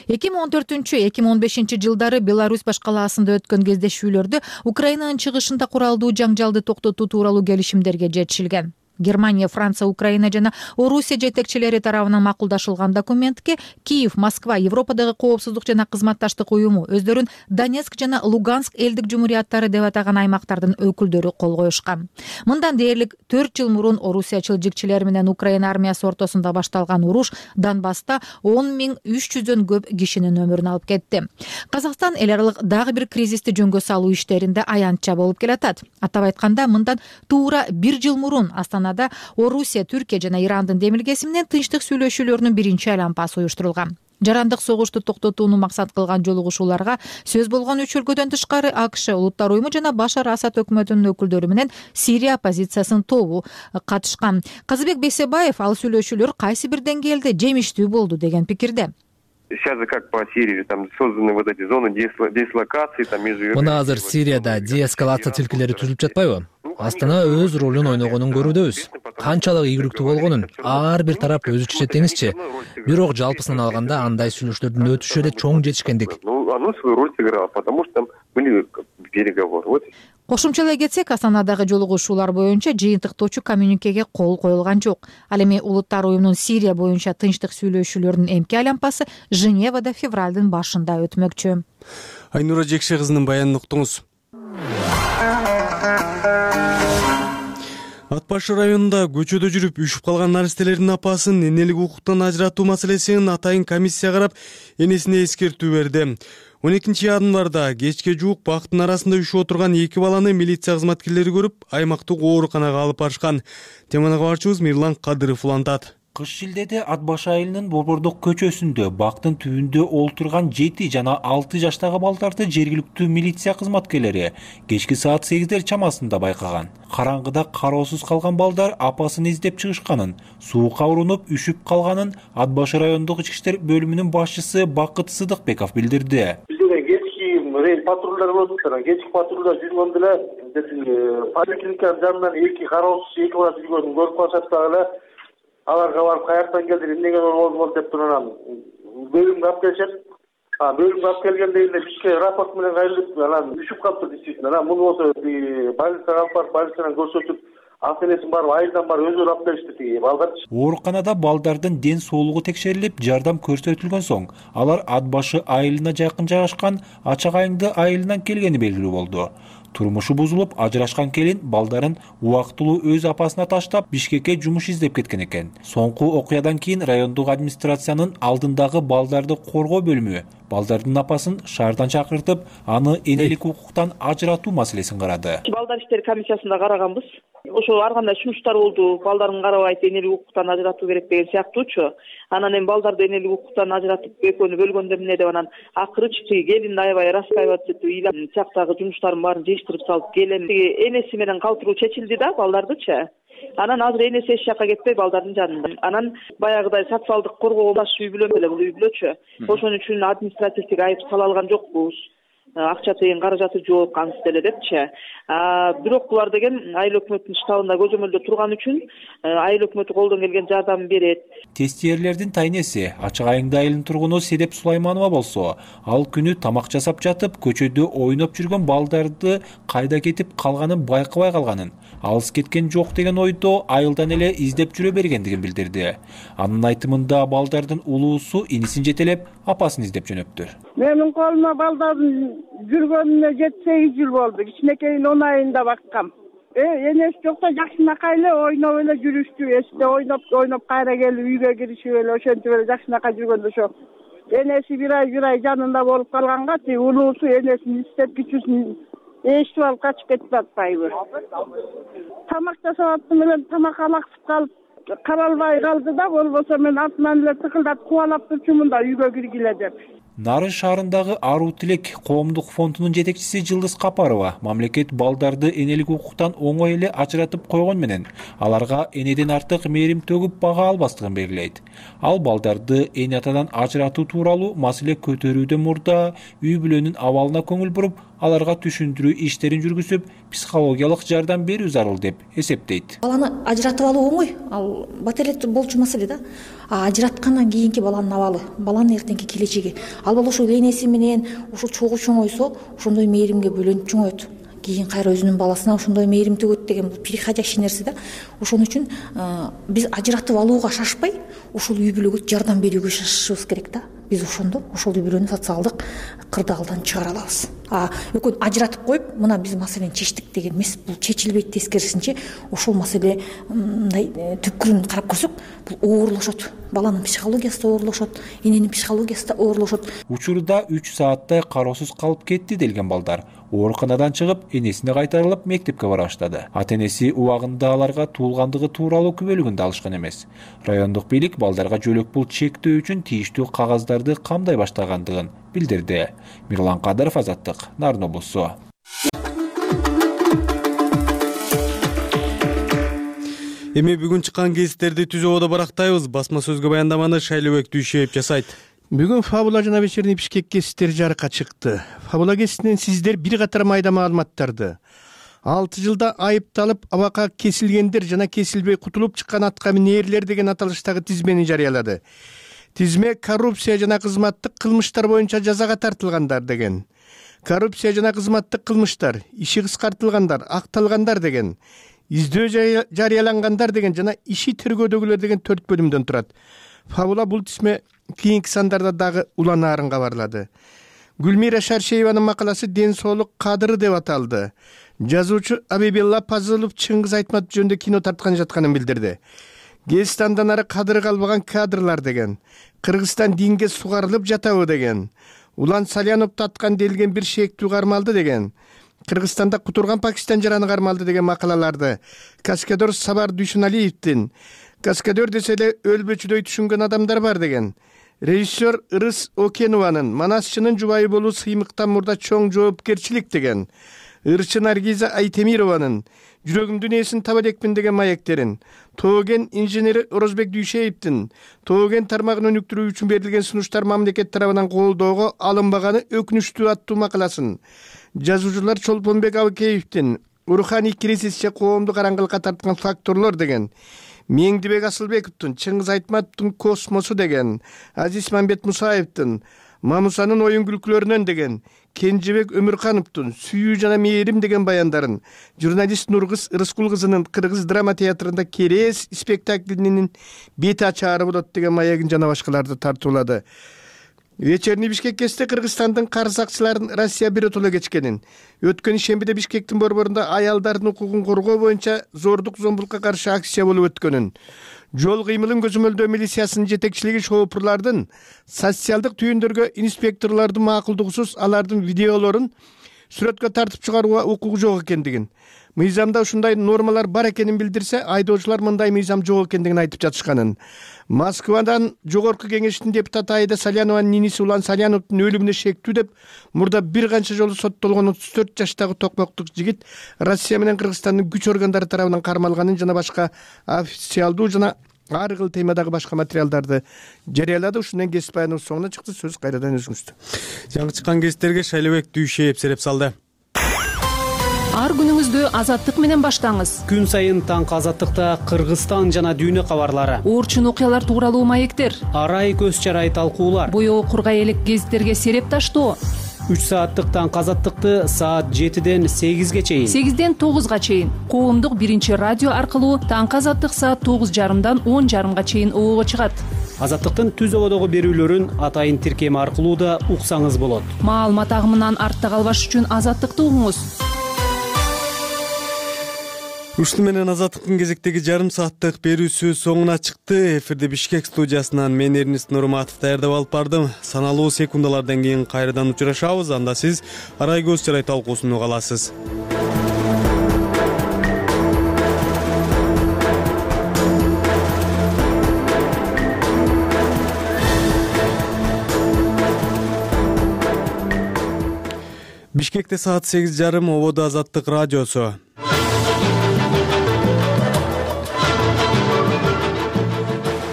2014-2015 жылдары Беларусь башкалаасында өткөн кездешүүлөрдө Украинанын чыгышында куралдуу жаңжалды токтотуу тууралуу келишимдерге жетишилген. Германия, Франция, Украина жана Орусия жетекчилери тарабынан макулдашылган документке Киев, Москва, Европадагы коопсуздук жана кызматташтык уюму өздөрүн Донецк жана Луганск элдик жумурияттары деп атаган аймактардын өкүлдөрү кол коюшкан. Мындан дээрлик 4 жыл мурун Орусия чылжикчилери менен Украина армиясы ортосунда башталган уруш Донбасста 10.300дөн көп кишинин өмүрүн алып кетти. Казакстан эл аралык дагы бир кризисти жөнгө салуу иштеринде аянтча болуп келатат. Атап айтканда, мындан туура 1 жыл мурун Орусия, Түркия жана Ирандын демилгеси менен тынчтык сүйлөшүүлөрүнүн биринчи айланпасы уюштурулган. Жарандык согушту токтотууну максат кылган жолугушууларга сөз болгон 3 өлкөдөн тышкары АКШ, Улуттар уюму жана Башар Асад өкмөтүнүн өкүлдөрү менен Сирия оппозициясынын тобу катышкан. Казыбек Бейсебаев ал сүйлөшүүлөр кайсы бир деңгээлде жемиштүү болду деген пикирде. Сейчас же как по Сирии, там созданы вот эти зоны дислокации, там между... Мына азыр Сирияда деэскалация тилкелери түзүлүп жатпайбы? Астана өз ролун ойногонун көрүүдөбүз. Канчалык ийгиликтүү болгонун ар бир тарап өзү чечет деңизчи. Бирок жалпысынан алганда андай сүйлөшүүлөрдүн өтүшү эле чоң жетишкендик. Ну, оно свою роль сыграло, потому что там были переговоры. Вот. Кошумчалай кетсек, Астанадагы жолугушуулар боюнча жыйынтыктоочу коммюникеге кол коюлган жок. Ал эми Улуттар уюмунун Сирия боюнча тынчтык сүйлөшүүлөрүнүн эмки айланпасы Женевада февралдын башында өтмөкчү. Айнура Жекше кызынын баянын уктуңуз. Ат башы районунда көчөдө жүрүп үшүп калган наристелердин апасын энелик укуктан ажыратуу маселесин атайын комиссия карап, энесине эскертүү берди. 12 январда кечке жуук бактын арасында үшүп отурган 2 баланы милиция кызматкерлери көрүп, аймактык ооруканага алып барышкан. Теманы кабарчыбыз Мирлан Кадыров улантат. Кыш шилдеде Ат башы айылынын Борбордук көчөсүндө бактын түбүндө олтурган 7 жана 6 жаштагы балдарды жергиликтүү милиция кызматкерлери кечки саат 8 чамасында байкаган. Караңгыда кароосуз калган балдар апасын издеп чыгышканын, суукка урунуп үшүп калганын Ат башы райондук ички иштер бөлүмүнүн башчысы Бакыт Сыдыкбеков билдирди. Рейд патрулдар болуп турган. Кечки патрулдар жүргөндө эле поликлиниканын жанынан 2 кароосуз 2 бала жүргөнүн көрүп калышат дагы. Аларга барып каяктан келдир, эмнеге болду деп турган бөлүмгө алып келишет. Бөлүмгө алып келгенде эле бизге рапорт менен кайрылып, анан үшүп калыптыр действительно. Анан муну болсо больницага алып барып, больницадан көрсөтүп, ата-энесин барып айылдан барып өзүлөрү алып келишти балдарды. Ооруканада балдардын ден соолугу текшерилип, жардам көрсөтүлгөн соң, алар Ат башы айылына жакын жайгашкан Ачак айыңды айылынан келгени белгилүү болду. Турмушу бузулуп, ажырашкан келин балдарын убактылуу өз апасына таштап, Бишкекке жумуш издеп кеткен экен. Соңку окуядан кийин райондук администрациянын алдындагы балдарды коргоо бөлүмү балдардын апасын шаардан чакыртып, аны энелик укуктан ажыратуу маселесин карады. Балдар иштери комиссиясында караганбыз. Ошо ар кандай сунуштар болду. Балдарын карабайт, энелик укуктан ажыратуу керек деген сыяктуучу. Анан эми балдарды энелик укуктан ажыратып экөөнү бөлгөндөр эмне деп анан акыры чыкты. Келин аябай раскаиваться этип, ыйлап чактагы жумуштарын баарын жыйыштырып салып келин энеси менен калтыруу чечилди да балдардычы. Анан азыр энеси эч жакка кетпей балдардын жанында. Анан баягыдай социалдык коргоо баш үй бүлө эле бул үй бүлөчү. Ошон үчүн административдик айып сала алган жокпуз. Акча тыйын каражаты жок анысы деле депчи. Бирок булар деген айыл өкмөтүнүн штабында көзөмөлдө турган үчүн айыл өкмөтү колдон келген жардамын берет. Тестиерлердин тайнеси Ачак айыңды айылынын тургуну Седеп Сулайманова болсо, ал күнү тамак жасап жатып, көчөдө ойноп жүргөн балдарды кайда кетип калганын байкабай калганын, алыс кеткен жок деген ойдо айылдан эле издеп жүрө бергендигин билдирди. Анын айтымында балдардын улуусу инисин жетелеп, апасын издеп жөнөптүр. Менин колума балдардын жүргөнүнө 7-8 жыл болду. Кичинекейин 10 айында баккам. Энеси жокто жакшынакай эле ойноп эле жүрүштү. Эсте ойноп кайра келип үйгө киришип эле ошентип эле жакшынакай жүргөндө ошо энеси бир ай жанында болуп калганга тиги улуусу энесин издеп кичүүсүн эшитип алып качып кетип атпайбы. Тамак жасап аттым эле тамак алаксып калып каралбай калды да, болбосо мен артынан эле тыкылдатып кубалап турчумун да үйгө киргиле деп. Нарын шаарындагы Аруу Тилек коомдук фондунун жетекчиси Жылдыз Капарова мамлекет балдарды энелик укуктан оңой эле ажыратып койгон менен аларга энеден артык мээрим төгүп бага албастыгын белгилейт. Ал балдарды эне атадан ажыратуу тууралуу маселе көтөрүүдөн мурда үй бүлөнүн абалына көңүл буруп, аларга түшүндүрүү иштерин жүргүзүп, психологиялык жардам берүү зарыл деп эсептейт. Баланы ажыратып алуу оңой, ал бат эле болчу маселе да. Ажыраткандан кийинки баланын абалы, баланын эртеңки келечеги. Ал бала ошол энеси менен ушул чогуу чоңойсо, ошондой мээримге бөлөнүп чоңойт. Кийин кайра өзүнүн баласына ошондой мээрим төгөт деген бул переходящий нерсе да. Ошон үчүн биз ажыратып алууга шашпай, ушул үй бүлөгө жардам берүүгө шашышыбыз керек да. Биз ошондо ошол үй бүлөнү социалдык кырдаалдан чыгара алабыз. Экөө ажыратып коюп, мына биз маселени чечтик деген эмес, бул чечилбейт. Тескерисинче, ошол маселе мындай түпкүрүн карап көрсөк, бул оорлошот. Баланын психологиясы да оорлошот, эненин психологиясы да оорлошот. Учурда 3 сааттай кароосуз калып кетти делген балдар ооруканадан чыгып, энесине кайтарылып мектепке бара баштады. Ата-энеси убагында аларга туулгандыгы тууралуу күбөлүгүн да алышкан эмес. Райондук бийлик балдарга жөлөк пул чектөө үчүн тийиштүү кагаздарды камдай баштагандыгын билдирди. Мирлан Кадыров, Азаттык, Нарын облусу. Эми бүгүн чыккан кесиптерди түз ободо барактайбыз. Басма сөзгө баяндаманы Шайлыбек Дүйшеев жасайт. Бүгүн Фабула жана Вечерний Бишкек кесиптери жарыкка чыкты. Фабула кесиптен сиздер бир катар майда маалыматтарды 6 жылда айыпталып абакка кесилгендер жана кесилбей кутулуп чыккан атка минээрлер деген аталыштагы тизмени жарыялады. Тизме коррупция жана кызматтык кылмыштар боюнча жазага тартылгандар деген. Коррупция жана кызматтык кылмыштар, иши кыскартылгандар, акталгандар деген, издөө жарыялангандар деген жана иши тергөөдөгүлөр деген 4 бөлүмдөн турат. Фабула бул тизме кийинки сандарда дагы уланаарын кабарлады. Гүлмира Шаршееванын макаласы ден соолук кадыры деп аталды. Жазуучу Абибилла Пазылов Чыңгыз Айтматов жөнүндө кино тарткан жатканын билдирди. Кыргызстандан ары кадыры калбаган кадрлар деген, Кыргызстан динге сугарылып жатабы деген, Улан Салянов таткан делген бир шектүү кармалды деген, Кыргызстанда кутурган Пакистан жараны кармалды деген макалаларды каскадер Сабар Дүйшөналиевдин каскадер десе эле өлбөчүдөй түшүнгөн адамдар бар деген, режиссер Ырыс Окенованын манасчынын жубайы болуу сыймыктан мурда чоң жоопкерчилик деген, ырчы Наргиза Айтемированын жүрөгүмдүн ээсин таба элекмин деген маектерин, Тоген инженери Орозбек Дүйшеевдин Тоген тармагын өнүктүрүү үчүн берилген сунуштар мамлекет тарабынан колдоого алынбаганы өкүнүчтүү аттуу макаласын, жазуучулар Чолпонбек Абыкеевдин руханий кризисче коомду караңгылыкка тарткан факторлор деген, Меңдибек Асылбековдун Чыңгыз Айтматовдун космосу деген, Азиз Мамбет Мусаевдин Мамусанын оюн күлкүлөрүнөн деген, Кенжебек Өмүркановдун Сүйүү жана мээрим деген баяндарын, журналист Нургыз Рыскул кызынын Кыргыз драма театрында Керес спектаклинин бети ачаары болот деген маегин жана башкаларды тартуулады. Вечерний Бишкек кесте Кыргызстандын карыз акчыларын Россия биротоло кечкенин, өткөн шембиде Бишкектин борборунда аялдардын укугун коргоо боюнча зордук зомбулукка каршы акция болуп өткөнүн, жол кыймылын көзөмөлдөө милициясынын жетекчилиги шоопурлардын социалдык түйүндөргө инспекторлордун макулдугусуз алардын видеолорун сүрөткө тартып чыгарууга укугу жок экендигин, мыйзамда ушундай нормалар бар экенин билдирсе, айдоочулар мындай мыйзам жок экендигин айтып жатышканын, Москвадан жогорку кеңештин депутаты Айда Салянованын ниниси Улан Саляновдун өлүмүнө шектүү деп мурда бир канча жолу соттолгон 34 жаштагы токмоктук жигит Россия менен Кыргызстандын күч органдары тарабынан кармалганын жана башка официалдуу жана ар кыл темадагы башка материалдарды жарыялады. Ушундан кесип баяныбыз соңуна чыкты. Сөз кайрадан өзүңүздө. Жаңы чыккан кесиптерге Шайлыбек Дүйшеев сереп салды. Ар күнүңүздү Азаттык менен баштаңыз. Күн сайын таңкы Азаттыкта Кыргызстан жана дүйнө кабарлары, орчун окуялар тууралуу маектер, арай көз чарай талкуулар, боёо кургай элек гезиттерге сереп таштоо. 3 сааттык таңкы Азаттыкты саат 7ден 8ге чейин, 8ден 9га чейин коомдук биринчи радио аркылуу таңкы Азаттык саат 9:30дан 10:30га чейин обого чыгат. Азаттыктын түз ободогу берүүлөрүн атайын тиркеми аркылуу да уксаңыз болот. Маалымат агымынан артта калбаш үчүн Азаттыкты угуңуз. Ушуну менен Азаттыктын кезектеги жарым сааттык берүүсү соңуна чыкты. Эфирде Бишкек студиясынан мен Эрнис Нурматов даярдап алып бардым. Саналуу секундалардан кийин кайрадан учурашабыз. Анда сиз Арай көз чарай талкуусун уга аласыз. Бишкекте саат 8:30, ободо Азаттык радиосу.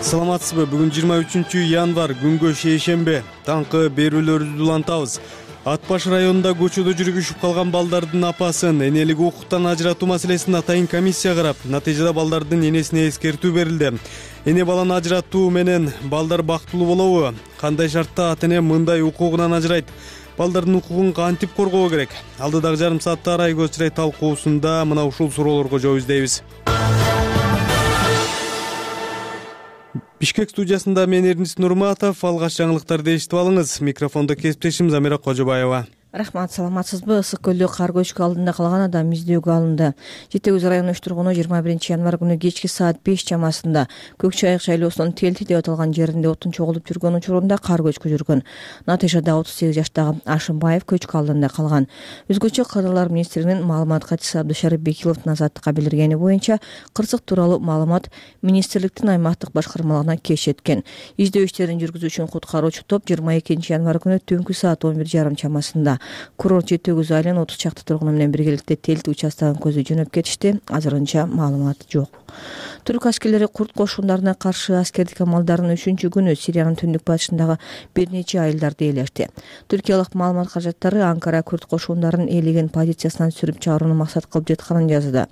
Саламатсызбы? Бүгүн 23 январь, күнгө шейшембе. Таңкы берүүлөрүбүздү улантабыз. Ат баш районунда көчөдө жүрүп үшүп калган балдардын апасын энелик укуктан ажыратуу маселесин атайын комиссия карап, натыйжада балдардын энесине эскертүү берилди. Эне баланы ажыратуу менен балдар бактылуу болобу? Кандай шартта ата эне мындай укугунан ажырайт? Балдардын укугун кантип коргоо керек? Алдыдагы жарым саатта Арай көз чарай талкуусунда мына ушул суроолорго жооп издейбиз. Бишкек студиясында мен Эрнис Нурматов, алгач жаңылыктарды эшитип алыңыз. Микрофондо кесиптешим Замира Кожобаева. Рахмат, саламатсызбы? Ысык көлдө кар көчкү алдында калган адам издөөгө алынды. Жети Көз районунун 3 тургуну 21 январь күнү кечки саат 5 чамасында Көк Чайык шайлоосунун Телти деп аталган жеринде отун чогулуп жүргөн учурунда кар көчкү жүргөн. Натыйжада 38 жаштагы Ашымбаев көчкү алдында калган. Өзгөчө Кадрлар министринин маалымат катчысы Абдышарып Бекиловдун Азаттыкка билдиргени боюнча, кырсык тууралуу маалымат министрликтин аймактык башкармалыгына кеч жеткен. Издөө иштерин жүргүзүү үчүн куткаруучу топ 22 январь күнү түнкү саат 11:30 чамасында Курорт Жети Көз айылынын 30 чакты тургуну менен биргеликте Телти участогун көздөй жөнөп кетишти. Азырынча маалымат жок. Түрк аскерлери курд кошундарына каршы аскердик амалдарын 3-күнү Сириянын түндүк батышындагы бир нече айылдарда ээлешти. Түркиялык маалымат каражаттары Анкара курд кошундарын ээлеген позициясынан сүрүп чыгарууну максат кылып жатканын жазды.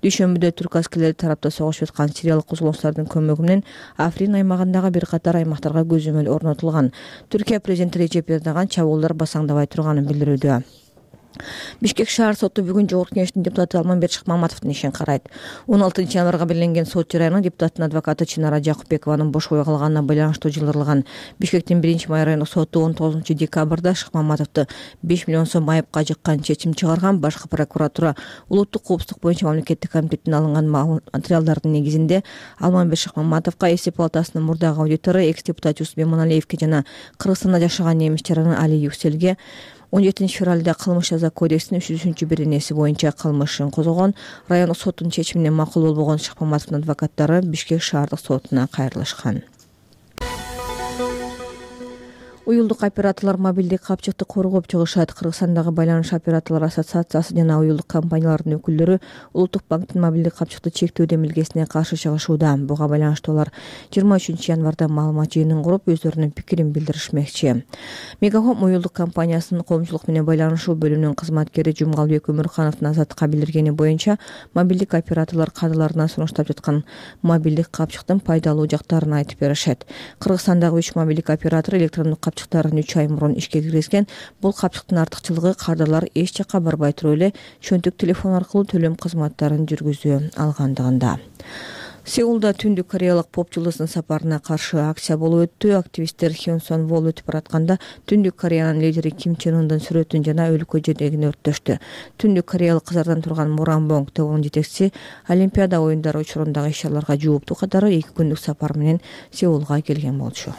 Дүйшөмбүдө түрк аскерлери тарапта согушуп аткан сириялык козголоңчулардын көмөгү менен Африн аймагындагы бир катар аймактарга көзөмөл орнотулган. Түркия президенти Режеп Эрдоган чабуулдар басаңдабай турганын билдирүүдө. Бишкек шаар соту бүгүн Жогорку Кеңештин депутаты Алмамбет Шыкмаматовдун ишин карайт. 16 январга белгиленген сот жарыяны депутаттын адвокаты Чынара Жакупбекованын бошобой калганына байланыштуу жылдырылган. Бишкектин 1-май райондук соту 19 декабрда Шыкмаматовду 5 миллион сом айыпка жыккан чечим чыгарган. Башкы прокуратура улуттук коопсуздук боюнча мамлекеттик комитеттен алынган материалдардын негизинде Алмамбет Шыкмаматовго эсеп палатасынын мурдагы аудитору экс-депутат Жусуп Эмоналиевге жана Кыргызстанда жашаган немис жараны Али Юкселге 17 февралда кылмыш жаза кодексинин 300-беренеси боюнча кылмышын козгогон. Райондук соттун чечимине макул болбогон Шыкмаматовдун адвокаттары Бишкек шаардык сотуна кайрылышкан. Уюлдук операторлор мобилдик капчыкты коргоп чыгышат. Кыргызстандагы байланыш операторлор ассоциациясы жана уюлдук компаниялардын өкүлдөрү Улуттук банктын мобилдик капчыкты чектөө демилгесине каршы чыгышууда. Буга байланыштуу алар 23 январда маалымат жыйынын куруп, өздөрүнүн пикирин билдиришмекчи. Мегафон уюлдук компаниясынын коомчулук менен байланышуу бөлүмүнүн кызматкери Жумгалбек Өмүрхановдун Азаттыкка билдиргени боюнча, мобилдик операторлор кадрларына сунуштап жаткан мобилдик капчыктын пайдалуу жактарын айтып беришет. Кыргызстандагы 3 мобилдик оператор электрондук капчыктарын 3 ай мурун ишке киргизген. Бул капчыктын артыкчылыгы кадрлар эч жакка барбай туруп эле чөнтүк телефон аркылуу төлөм кызматтарын жүргүзө алгандыгында. Сеулда түндүк кореялык поп жылдыздын сапарына каршы акция болуп өттү. Активисттер Хёнсон Вол өтүп баратканда Түндүк Кореянын лидери Ким Чен Ундун сүрөтүн жана өлкө жетегин өрттөштү. Түндүк кореялык кызардан турган Муранбонг тобунун жетекчиси Олимпиада оюндары учурундагы иш-чараларга жооптуу катары 2 күндүк сапар менен Сеулга келген болчу.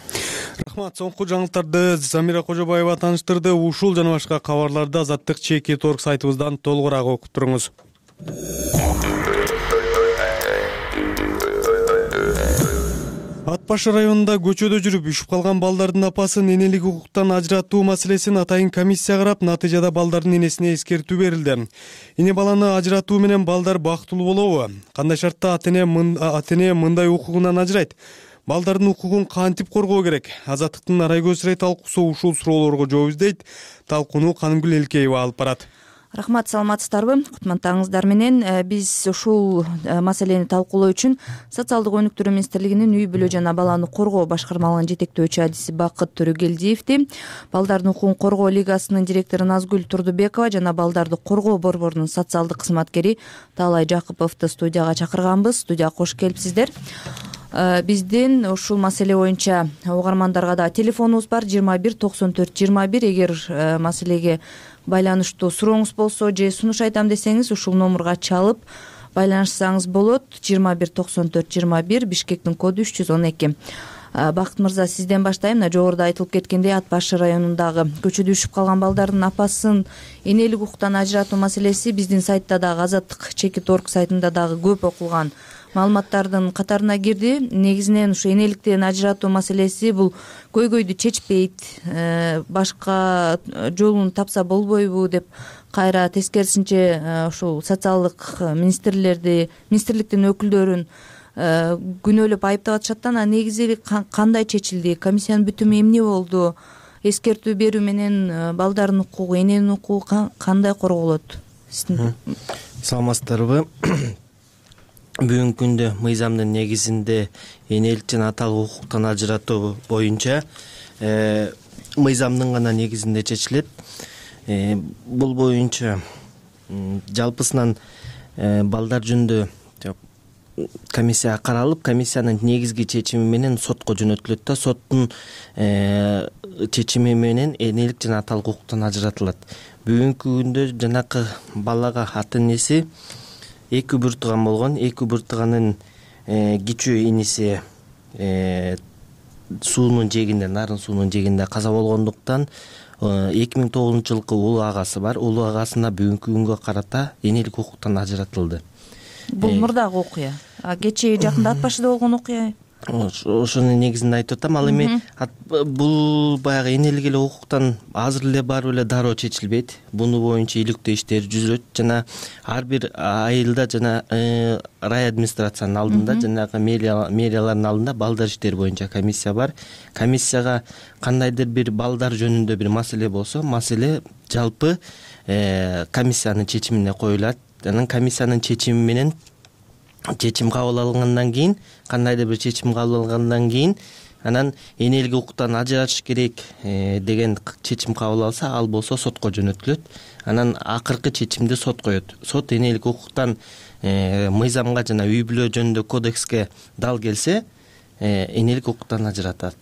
Рахмат, соңку жаңылыктарды Замира Кожобаева тааныштырды. Ушул жана башка кабарларды Азаттык ЧК.org сайтыбыздан толугураак окуп туруңуз. Ат баш районунда көчөдө жүрүп үшүп калган балдардын апасын энелик укуктан ажыратуу маселесин атайын комиссия карап, натыйжада балдардын энесине эскертүү берилди. Эне баланы ажыратуу менен балдар бактылуу болобу? Кандай шартта ата эне мындай укугунан ажырайт? Балдардын укугун кантип коргоо керек? Азаттыктын Арай көз чарай талкуусу ушул суроолорго жооп издейт. Талкууну Канымгүл Элкеева алып барат. Рахмат, саламатсыздарбы? Кутмандтарыңыздар менен биз ушул маселени талкуулоо үчүн Социалдык өнүктүрүү министрлигинин үй бүлө жана баланы коргоо башкармалыгынын жетектөөчү адиси Бакыт Төрөгелдиевди, балдардын укугун коргоо лигасынын директору Назгүл Турдубекова жана балдарды коргоо борборунун социалдык кызматкери Таалай Жакыповду студияга чакырганбыз. Студияга кош келипсиздер. биздин ушул маселе боюнча угармандарга да телефонубуз бар 21 94 21. Эгер маселеге байланыштуу сурооңуз болсо же сунуш айтам десеңиз ушул номурга чалып байланышсаңыз болот. 21 94 21, Бишкектин коду 312. Бакыт мырза, сизден баштайм. Мына жогоруда айтылып кеткендей, Ат башы районундагы көчөдө үшүп калган балдардын апасын энелик укуктан ажыратуу маселеси биздин сайтта дагы, Азаттык Чекит.орг сайтында дагы көп окулган маалыматтардын катарына кирди. Негизинен ушу энеликтен ажыратуу маселеси бул көйгөйдү чечпейт, башка жолун тапса болбойбу деп кайра тескерисинче ушул социалдык министрликтин өкүлдөрүн күнөөлөп айыптап атышат. Анан негизи кандай чечилди? Комиссиянын бүтүмү эмне болду? Эскертүү берүү менен балдардын укугу, эненин укугу кандай корголот? Саламатсыздарбы? Бүгүнкү күндө мыйзамдын негизинде энелик жана аталык укуктан ажыратуу боюнча мыйзамдын гана негизинде чечилет. Бул боюнча жалпысынан балдар жөнүндө комиссия каралып, комиссиянын негизги чечими менен сотко жөнөтүлөт да, соттун чечими менен энелик жана аталык укуктан ажыратылат. Бүгүнкү күндө жанакы балага ата энеси эки үбүр тууган болгон, эки үбүр тууганын кичүү иниси суунун жээгинде, нарын суунун жээгинде каза болгондуктан 2009-жылкы улуу агасы бар. Улуу агасына бүгүнкү күнгө карата энелик укуктан ажыратылды. Бул мурдагы окуя. Кечээ жакында Ат башыда болгон окуя. Ошонун негизинде айтып атам. Ал эми бул баягы энелик эле укуктан азыр эле барып эле дароо чечилбейт. Буну боюнча иликтөө иштери жүрөт жана ар бир айылда жана рай администрациянын алдында, жанагы мэриялардын алдында балдар иштери боюнча комиссия бар. Комиссияга кандайдыр бир балдар жөнүндө бир маселе болсо, маселе жалпы комиссиянын чечимине коюлат. Анан комиссиянын чечими менен чечим кабыл алынгандан кийин, кандайдыр бир чечим кабыл алгандан кийин, анан энелик укуктан ажыратыш керек деген чечим кабыл алса, ал болсо сотко жөнөтүлөт. Анан акыркы чечимди сот коет. Сот энелик укуктан мыйзамга жана үй бүлө жөнүндө кодекске дал келсе, энелик укуктан ажыратат.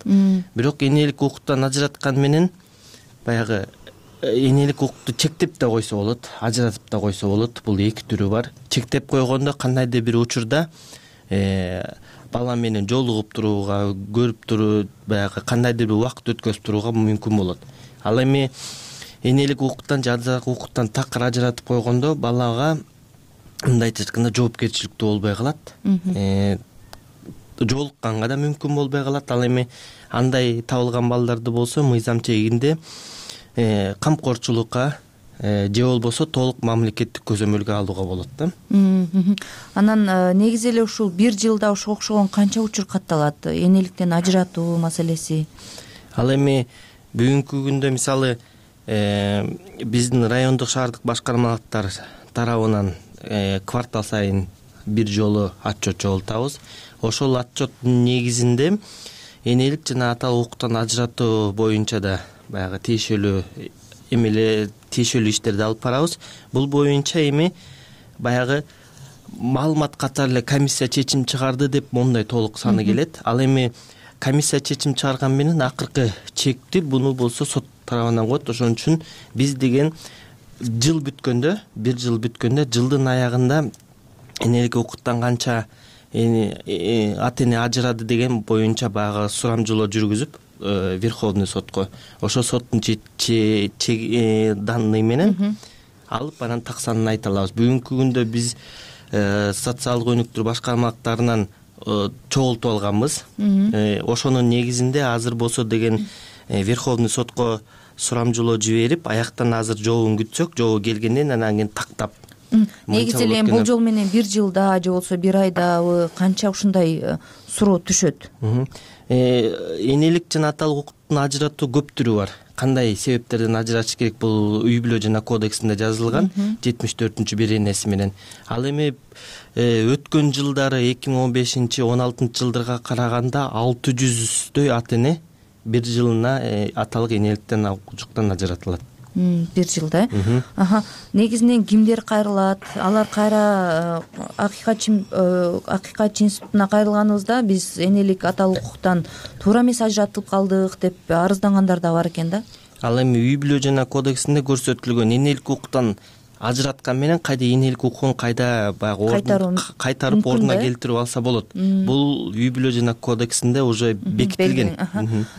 Бирок энелик укуктан ажыраткан менен баягы энелик укукту чектеп да койсо болот, ажыратып да койсо болот. Бул эки түрү бар. Чектеп койгондо кандайдыр бир учурда бала менен жолугуп турууга, көрүп туруп, баягы кандайдыр бир убакыт өткөзүп турууга мүмкүн болот. Ал эми энелик укуктан же аталык укуктан такыр ажыратып койгондо балага мындайча айтканда жоопкерчиликтүү болбой калат. Жолукканга да мүмкүн болбой калат. Ал эми андай табылган балдарды болсо мыйзам чегинде камкорчулукка же болбосо толук мамлекеттик көзөмөлгө алууга болот да. Анан негизи эле ушул бир жылда ошого окшогон канча учур катталат энеликтен ажыратуу маселеси? Ал эми бүгүнкү күндө мисалы биздин райондук шаардык башкармалыктар тарабынан квартал сайын бир жолу отчет чогултабыз. Ошол отчеттун негизинде энелик жана аталык укуктан ажыратуу боюнча да баягы тиешелүү иштерди алып барабыз. Бул боюнча эми баягы маалымат катары эле комиссия чечим чыгарды деп мондай толук саны келет. Ал эми комиссия чечим чыгарган менен акыркы чекти буну болсо сот тарабынан коет. Ошон үчүн биз деген жыл бүткөндө, бир жыл бүткөндө, жылдын аягында энелик укуктан канча ата эне ажырады деген боюнча баягы сурамжылоо жүргүзүп Верховный сотко, ошо соттун данный менен алып анан так санын айта алабыз. Бүгүнкү күндө биз социалдык өнүктүрүү башкармалыктарынан чогултуп алганбыз. Ошонун негизинде азыр болсо деген Верховный сотко сурамжылоо жиберип, аяктан азыр жообун күтсөк, жообу келгенден анан кийин тактап. Негизи эле болжол менен бир жылда же болбосо бир айдабы канча ушундай суроо түшөт? Энелик жана аталык укуктун ажыратуу көп түрү бар. Кандай себептерден ажыратыш керек бул үй бүлө жана кодексинде жазылган 74-беренеси менен. Ал эми өткөн жылдары 2015-16 жылдарга караганда 600дөй ата эне бир жылына аталык энеликтен укуктан ажыратылат. 1 жылда негизинен кимдер кайрылат, алар кайра акыйкатчы институтуна кайрылганыбызда биз энелик аталык укуктан туура эмес ажыратылып калдык деп арыздангандар да бар экен да. Ал эми үй бүлө жана кодексинде көрсөтүлгөн энелик укуктан ажыраткан менен кайда энелик укугун кайда баягы кайтарып ордуна келтирип алса болот. Бул үй бүлө жана кодексинде уже бекитилген.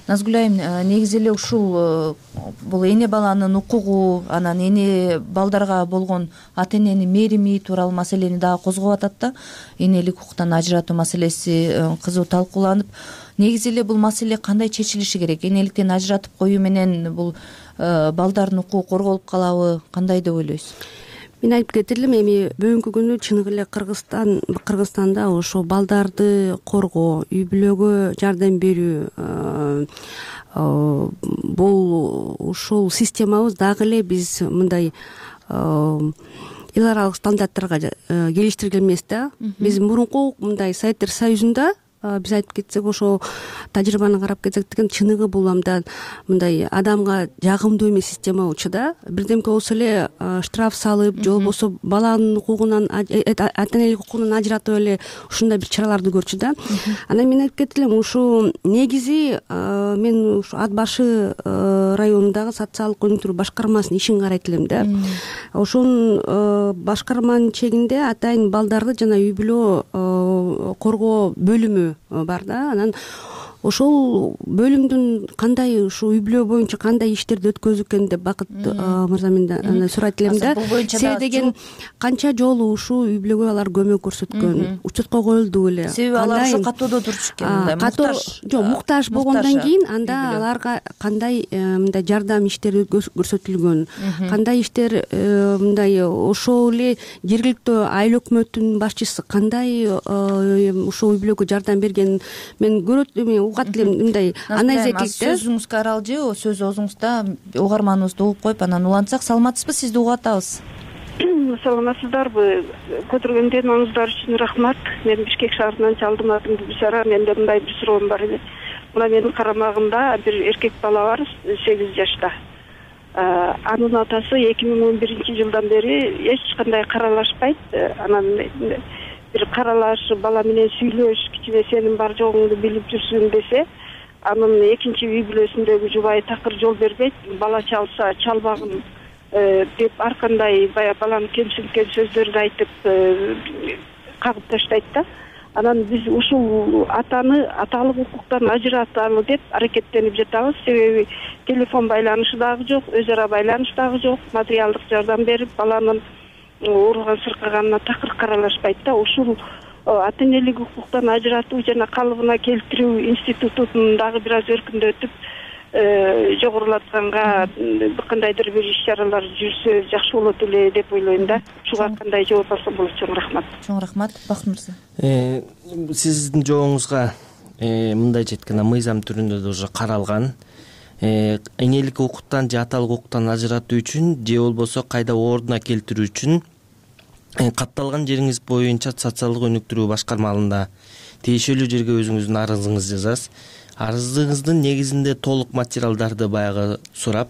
Назгүл айым, негизи эле ушул бул эне баланын укугу, анан эне балдарга болгон ата эненин мээрими тууралуу маселени дагы козгоп атат да. Энелик укуктан ажыратуу маселеси кызуу талкууланып, негизи эле бул маселе кандай чечилиши керек? Энеликтен ажыратып коюу менен бул балдардын укугу корголуп калабы, кандай деп ойлойсуз? Мен айтып кетер элем, эми бүгүнкү күнү чыныгы эле Кыргызстанда ошо балдарды коргоо, үй бүлөгө жардам берүү бул ушул системабыз дагы эле биз мындай эл аралык стандарттарга келиштирген эмес да. Биз мурунку мындай Советтер Союзунда биз айтып кетсек, ошо тажрыйбаны карап кетсек деген чыныгы бул мындай адамга жагымдуу эмес система болчу да. Бирдемке болсо эле штраф салып, же болбосо баланын укугунан, ата энелик укугунан ажыратып эле ушундай бир чараларды көрчү да. Анан мен айтып кетер элем, ушу негизи мен ушу Ат башы районундагы социалдык өнүктүрүү башкармасынын ишин карайт элем да. Ошонун башкарманын чегинде атайын балдарды жана үй бүлө коргоо бөлүмү бар да. Анан ошол бөлүмдүн кандай ушу үй бүлө боюнча кандай иштерди өткөзүп экен деп Бакыт мырза менден сурайт элем да. Себеби деген канча жолу ушул үй бүлөгө алар көмөк көрсөткөн, учетко коюлду эле. Себеби алар ошо катоодо турчу экен, жок, муктаж болгондон кийин анда аларга кандай мындай жардам иштери көрсөтүлгөн, кандай иштер мындай ошол эле жергиликтүү айыл өкмөттүн башчысы кандай ушул үй бүлөгө жардам берген мен көрөт угат элем, мындай анализ этилет да. Сөзүңүзгө аралжы, сөз оозуңузда угарманыбызды угуп коюп анан улантсак. Саламатсызбы, сизди угуп атабыз. Саламатсыздарбы? Көтөргөндөрүңүздөр үчүн рахмат. Мен Бишкек шаарынан чалдым, атым Бишара. Менде мындай бир суроом бар эле. Мына менин карамагымда бир эркек бала бар, 8 жашта. Анын атасы 2011-жылдан бери эч кандай каралашпайт. Анан бир каралаш, бала менен сүйлөш, кичине сенин бар жогуңду билип жүрсүн десе, анын экинчи үй бүлөсүндөгү жубайы такыр жол бербейт. Бала чалса чалбагын деп ар кандай баягы баланы кемсинткен сөздөрдү айтып кагып таштайт да. Анан биз ушул атаны аталык укуктан ажыраталы деп аракеттенип жатабыз. Себеби телефон байланышы дагы жок, өз ара байланыш дагы жок, материалдык жардам берип баланын ууруган сыркаганына такыр каралашпайт да. Ушул ата энелик укуктан ажыратуу жана калыбына келтирүү институтун дагы бир аз өркүндөтүп жогорулатканга кандайдыр бир иш чаралар жүрсө жакшы болот эле деп ойлойм да. Ушуга кандай жооп алсам болот? Чоң рахмат. Чоң рахмат. Бакыт мырза. Сиздин жообуңузга мындайча айтканда мыйзам түрүндө да уже каралган. Энелик укуктан же аталык укуктан ажыратуу үчүн же болбосо кайда ордуна келтирүү үчүн катталган жериңиз боюнча социалдык өнүктүрүү башкармалыгында тиешелүү жерге өзүңүздүн арызыңызды жазасыз. Арызыңыздын негизинде толук материалдарды баягы сурап,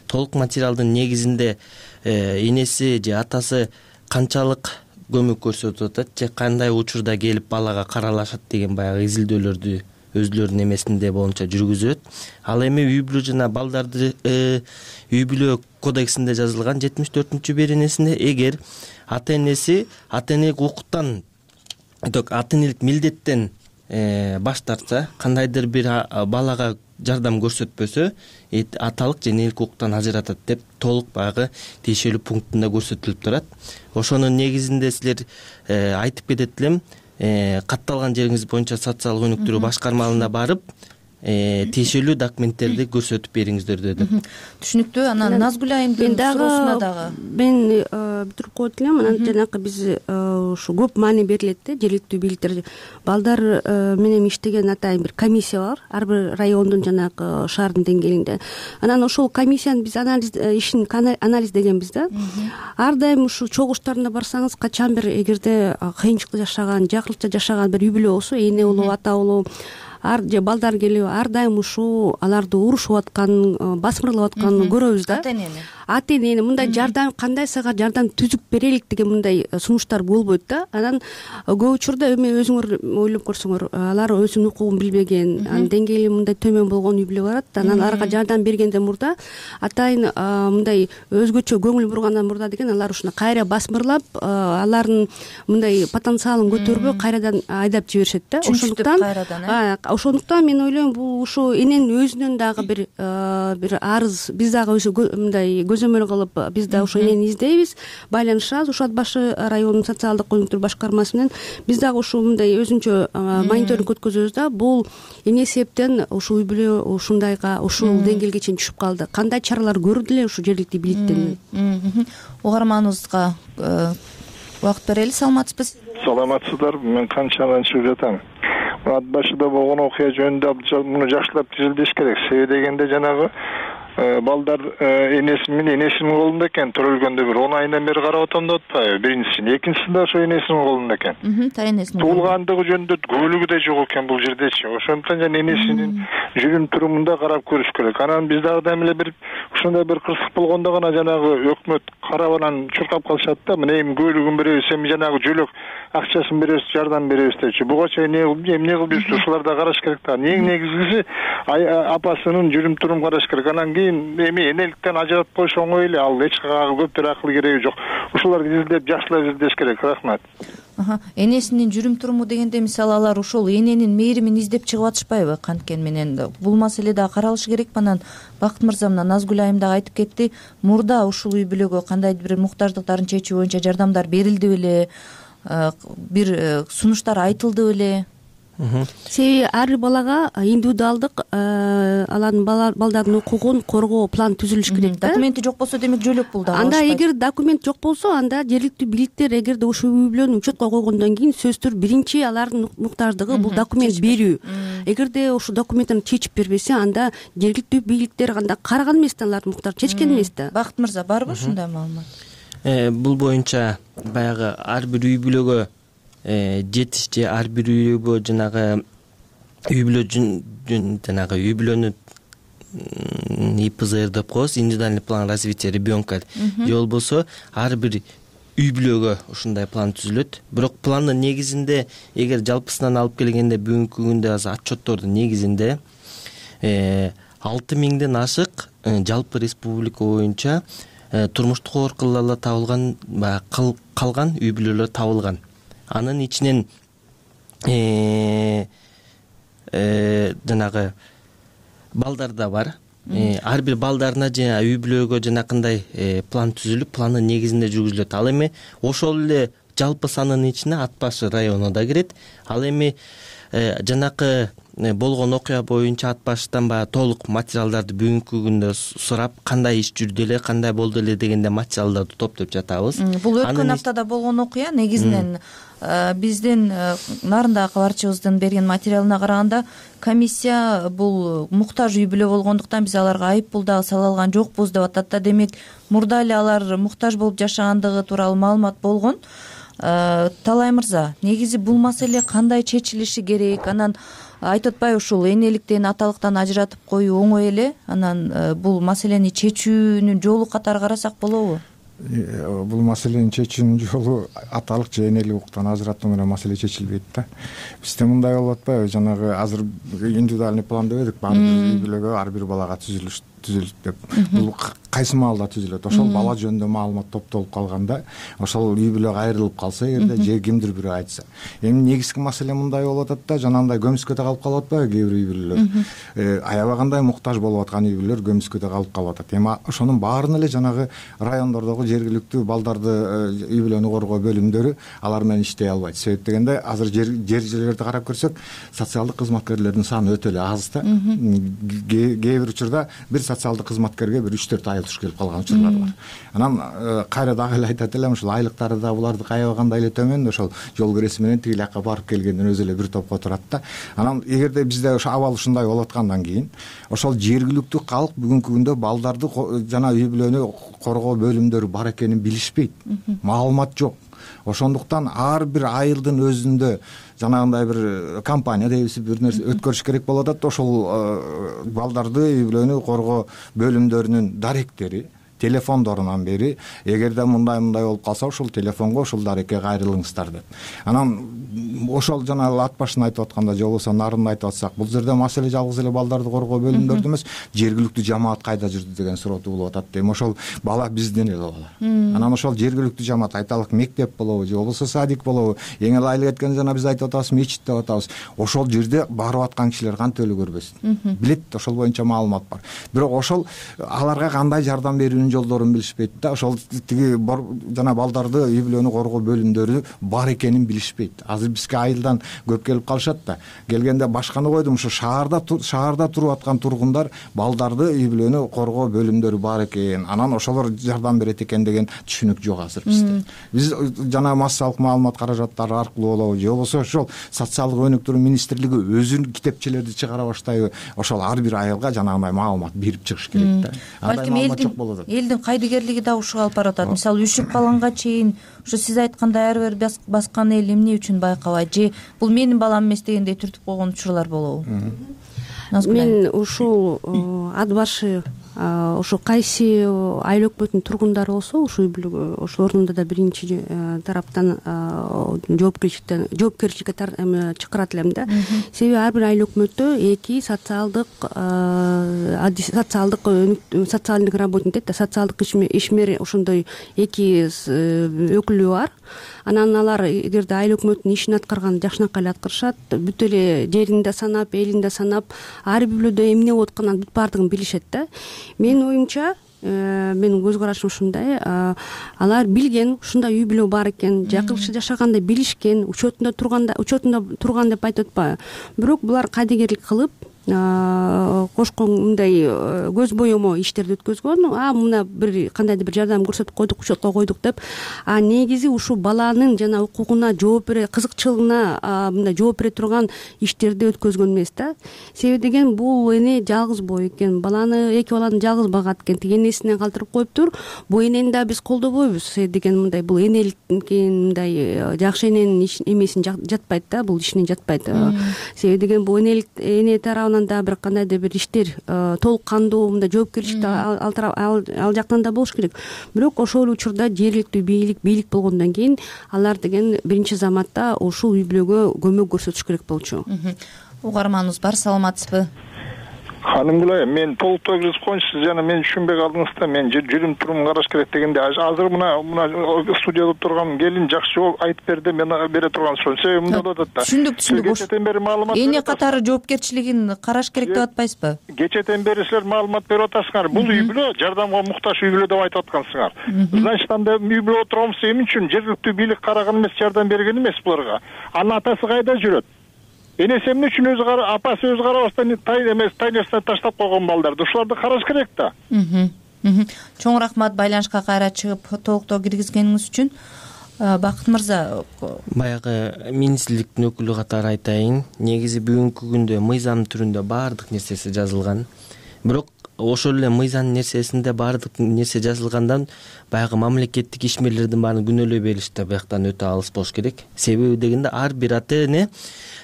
толук материалдын негизинде энеси же атасы канчалык көмөк көрсөтүп атат же кандай учурда келип балага каралашат деген баягы изилдөөлөрдү өзүлөрүнүн эмесинде боюнча жүргүзөт. Ал эми үй бүлө жана балдарды үй бүлө кодексинде жазылган 74-беренесинде эгер ата энеси ата энелик укуктан ата энелик милдеттен баш тартса, кандайдыр бир балага жардам көрсөтпөсө, аталык же энелик укуктан ажыратат деп толук баягы тиешелүү пунктунда көрсөтүлүп турат. Ошонун негизинде силер айтып кетет элем, катталган жериңиз боюнча социалдык өнүктүрүү башкармалыгына барып тиешелүү документтерди көрсөтүп бериңиздер деп. Түшүнүктүү. Анан Назгүл айымдын суроосуна дагы мен бүтүрүп коет элем. Анан жанакы биз ушу көп маани берилет да, жергиликтүү бийликтер балдар менен иштеген атайын бир комиссия бар, ар бир райондун жанагы шаардын деңгээлинде. Анан ошол комиссиянын биз ишин анализдегенбиз да. Ар дайым ушул чогуштарына барсаңыз, качан бир эгерде кыйынчылыкта жашаган, жакыртча жашаган бир үй бүлө болсо, эне болобу, ата болобу, же балдар келип ар дайым ушул аларды урушуп атканын, басмырлап атканын көрөбүз да. ата энени мындай жардам кандай сага жардам түзүп берелик деген мындай сунуштар болбойт да. Анан көп учурда эми өзүңөр ойлоп көрсөңөр, алар өзүнүн укугун билбеген, анын деңгээли мындай төмөн болгон үй бүлө барат. Анан аларга жардам бергенден мурда атайын мындай өзгөчө көңүл бургандан мурда деген алар ушуну кайра басмырлап, алардын мындай потенциалын көтөрбөй кайрадан айдап жиберишет да. Ошондуктан мен ойлойм, бул ушу эненин өзүнөн дагы бир арыз, биз дагы мындай көзөмөл кылып, биз да ошо энени издейбиз, байланышабыз ушу Ат башы районунун социалдык өнүктүрүү башкармасы менен. Биз дагы ушу мындай өзүнчө мониторинг өткөзөбүз да. Бул эмне себептен ушул үй бүлө ушундайга, ушул деңгээлге чейин түшүп калды, кандай чаралар көрүлдү эле ушу жергиликтүү бийликтен? Угарманыбызга убакыт берели. Саламатсызбы? Саламатсыздарбы? Мен канчадан чыгып жатам. Ат башыда болгон окуя жөнүндө муну жакшылап түзүлүш керек. Себеби дегенде жанагы балдар энеси менен энесинин колунда экен. Төрөлгөндө бир 10 айынан бери карап атам деп атпайбы? Биринчиси, экинчиси да ошо энесинин колунда экен. Энесинин туулгандыгы жөнүндө көөлүгү да жок экен бул жердечи. Ошондуктан жана энесинин жүрүм турумунда карап көрүш керек. Анан биз дагы эле бир ушундай бир кырсык болгондо гана жанагы өкмөт карап анан чуркап калышат да. Мына эми көөлүгүн беребиз, эми жанагы жөлөк акчасын беребиз, жардам беребиз депчи. Буга чейин эмне кылып жүрсү? Ушулар да караш керек да. Эң негизгиси апасынын жүрүм турумун караш керек. Анан кийин эми энеликтен ажыратып коюш оңой эле. Ал эч кайга көптөр акыл кереги жок. Ушуларды изилдеп, жакшылап изилдеш керек. Рахмат. Энесинин жүрүм туруму дегенде, мисалы, алар ошол эненин мээримин издеп чыгып атышпайбы? Канткени менен бул маселе дагы каралышы керек. Анан Бакыт мырза менен Назгүл айым дагы айтып кетти. Мурда ушул үй бүлөгө кандайдыр бир муктаждыктарын чечүү боюнча жардамдар берилди беле? Бир сунуштар айтылды беле? Себеби ар бир балага индивидуалдык алардын балдардын укугун коргоо план түзүлүш керек да. Документи жок болсо, демек жөлөк бул дагы. Анда эгер документ жок болсо, анда жергиликтүү бийликтер эгерде ушул үй бүлөнү учетко койгондон кийин сөзсүз түрдө биринчи алардын муктаждыгы бул документ берүү. Эгерде ушул документин чечип бербесе, анда жергиликтүү бийликтер анда караган эмес да, алардын муктаж чечкен эмес да. Бакыт мырза, барбы ушундай маалымат? Бул боюнча баягы ар бир үй бүлөгө жетиш же ар бир үйгө жанагы үй бүлөнү ИПЗР деп коебуз, индивидуальный план развития ребенка. Же болбосо ар бир үй бүлөгө ушундай план түзүлөт. Бирок пландын негизинде, эгер жалпысынан алып келгенде, бүгүнкү күндө азыр отчеттордун негизинде 6000ден ашык жалпы республика боюнча турмуштук оор кылалар табылган, калган үй бүлөлөр табылган. Анын ичинен жанагы балдар да бар. Ар бир балдарына жана үй бүлөгө жанакындай план түзүлүп, пландын негизинде жүргүзүлөт. Ал эми ошол эле жалпы санын ичине Ат башы району да кирет. Ал эми жанакы болгон окуя боюнча Ат башыдан баягы толук материалдарды бүгүнкү күндө сурап, кандай иш жүрдү эле, кандай болду эле дегенде материалдарды топтоп жатабыз. Бул өткөн аптада болгон окуя. Негизинен биздин нарындагы кабарчыбыздын берген материалына караганда, комиссия бул муктаж үй бүлө болгондуктан биз аларга айып пул дагы сала алган жокпуз деп атат да. Демек, мурда эле алар муктаж болуп жашагандыгы тууралуу маалымат болгон. Талай мырза, негизи бул маселе кандай чечилиши керек? Анан айтып атпайбы, ушул энеликтен, аталыктан ажыратып коюу оңой эле. Анан бул маселени чечүүнүн жолу катары карасак болобу? Бул маселенин чечүүнүн жолу аталык же энелик укуктан ажыратуу менен маселе чечилбейт да. Бизде мындай болуп атпайбы? Жанагы азыр индивидуальный план дебедик, ар бир үй бүлөгө, ар бир балага түзүлүш деп. Бул кайсы маалда түзүлөт? Ошол бала жөнүндө маалымат топтолуп калганда, ошол үй бүлө айрылып калса эгерде, же кимдир бирөө айтса. Эми негизги маселе мындай болуп атат да, жанагындай көмүскөдө калып калып атпайбы кээ бир үй бүлөлөр? Аябагандай муктаж болуп аткан үй бүлөлөр көмүскөдө калып атат. Эми ошонун баарын эле жанагы райондордогу жергиликтүү балдарды үй бүлөнү коргоо бөлүмдөрү алар менен иштей албайт. Себеп дегенде, азыр жерлерди карап көрсөк, социалдык кызматкерлердин саны өтө эле аз да. Кээ бир учурда бир социалдык кызматкерге бир 3-4 ай туш келип калган учурлар бар. Анан кайра дагы эле айтат элем, ушул айлыктары да буларды аябагандай эле төмөн, ошол жол киреси менен тиги жака барып келгенден өзү эле бир топко турат да. Анан эгерде бизде ошо абал ушундай болуп аткандан кийин, ошол жергиликтүү калк бүгүнкү күндө балдарды жана үй бүлөнү коргоо бөлүмдөрү бар экенин билишпейт. Маалымат жок. Ошондуктан ар бир айылдын өзүндө жанагындай бир компания дейбиз, бир нерсе өткөрүш керек болуп атат. Ошол балдарды үй бүлөнү коргоо бөлүмдөрүнүн даректери телефондорунан бери эгерде мындай болуп калса ушул телефонго ушул дарекке кайрылыңыздар деп. Анан ошол жана ат башын айтып атканда же болбосо нарынды айтып атсак, бул жерде маселе жалгыз эле балдарды коргоо бөлүмдөрдө эмес, жергиликтүү жамаат кайда жүрдү деген суроо туулуп атат дейм. Ошол бала бизден эле бала. Анан ошол жергиликтүү жамаат, айталык мектеп болобу же болбосо садик болобу, эң эле айыл кеткен жана биз айтып атабыз мечит деп атабыз. Ошол жерде барып аткан кишилер кантип эле көрбөсүн. Билет, ошол боюнча маалымат бар. Бирок ошол аларга кандай жардам берүүнүн жолдорун билишпейт да. Ошол тиги жана балдарды үй бүлөнү коргоо бөлүмдөрү бар экенин билишпейт. Азыр бизге айылдан көп келип калышат да. Келгенде башканы койдум, ушу шаарда туруп аткан тургундар балдарды үй бүлөнү коргоо бөлүмдөрү бар экен. Анан ошолор жардам берет экен деген түшүнүк жок азыр бизде. Биз жана массалык маалымат каражаттары аркылуу болобу же болбосо ошол социалдык өнүктүрүү министрлиги өзүнүн китепчелерди чыгара баштайбы, ошол ар бир айылга жанагындай маалымат берип чыгыш керек да. Балким элдин кайдыгерлиги да ушуга алып баратат. Мисалы үшүп калганга чейин ушу сиз айткандай ар бир баскан эл эмне үчүн байкабайт, же бул менин балам эмес дегендей түртүп койгон учурлар болобу? Мен ушул ат башы ошо кайсы айыл өкмөтүнүн тургундары болсо ушул үй бүлөгө ошол ордунда да биринчи тараптан жоопкерчиликке чакырат элем да. Себеби ар бир айыл өкмөттө эки социалдык работник дейт да, социалдык ишмер, ошондой эки өкүлү бар. Анан алар эгерде айыл өкмөтүнүн ишин аткарган жакшынакай эле аткарышат, бүт эле жерин да санап, элин да санап, ар бир үйлөрдө эмне болуп атканын бүт баардыгын билишет да. Менин оюмча, менин көз карашым ушундай, алар билген, ушундай үй бүлө бар экен, жакшы жашаганда билишкен, учетунда турган деп айтып атпайбы. Бирок булар кайдыгерлик кылып, кошкон мындай көз боёмо иштерди өткөзгөн, мына бир кандайдыр бир жардам көрсөтүп койдук, учетко койдук деп, негизи ушул баланын жана укугуна жооп бере, кызыкчылыгына мындай жооп бере турган иштерди өткөзгөн эмес да. Себеби деген бул эне жалгыз боо экен, эки баланы жалгыз багат экен, тиги энесинен калтырып коюптур. Бул энени да биз колдобойбуз. Себеби деген мындай бул энеликтин мындай жакшы эненин эмесин жатпайт да, бул ишине жатпайт. Себеби деген бул эне тарабынан да бир кандайдыр бир иштер толук кандуу мындай жоопкерчилик ал жактан да болуш керек. Бирок ошол учурда жергиликтүү бийлик болгондон кийин алар деген биринчи заматта ушул үй бүлөгө көмөк көрсөтүш керек болчу. Угарманыбыз бар, саламатсызбы? Ханым Гүлай, мен толуктоо киргизип коеюнчу, сиз жана мен түшүнбөй калдыңыз да. Мен жүрүм турумун караш керек дегенде азыр мына студияда турган келин жакшы жол айтып берди, мен бере турган сөз. Себеби мындай болуп атат да. Түшүндүк. Кечеден бери маалымат эне катары жоопкерчилигин караш керек деп атпайсызбы? Кечеден бери силер маалымат берип атасыңар. Бул үй бүлө жардамга муктаж үй бүлө деп айтып аткансыңар. Значит, анда үй бүлө отурганбыз эмне үчүн? Жергиликтүү бийлик караган эмес, жардам берген эмес буларга. Анын атасы кайда жүрөт? Энеси эмне үчүн апасы өзү карабастан тайнерсине таштап койгон балдарды? Ушуларды караш керек да. Чоң рахмат байланышка кайра чыгып толуктоо киргизгениңиз үчүн. Бакыт мырза, баягы министрликтин өкүлү катары айтайын, негизи бүгүнкү күндө мыйзам түрүндө баардык нерсеси жазылган. Бирок ошол эле мыйзам нерсесинде баардык нерсе жазылгандан баягы мамлекеттик ишмерлердин баарын күнөөлөй бериш да бияктан өтө алыс болуш керек. Себеби дегенде ар бир ата эне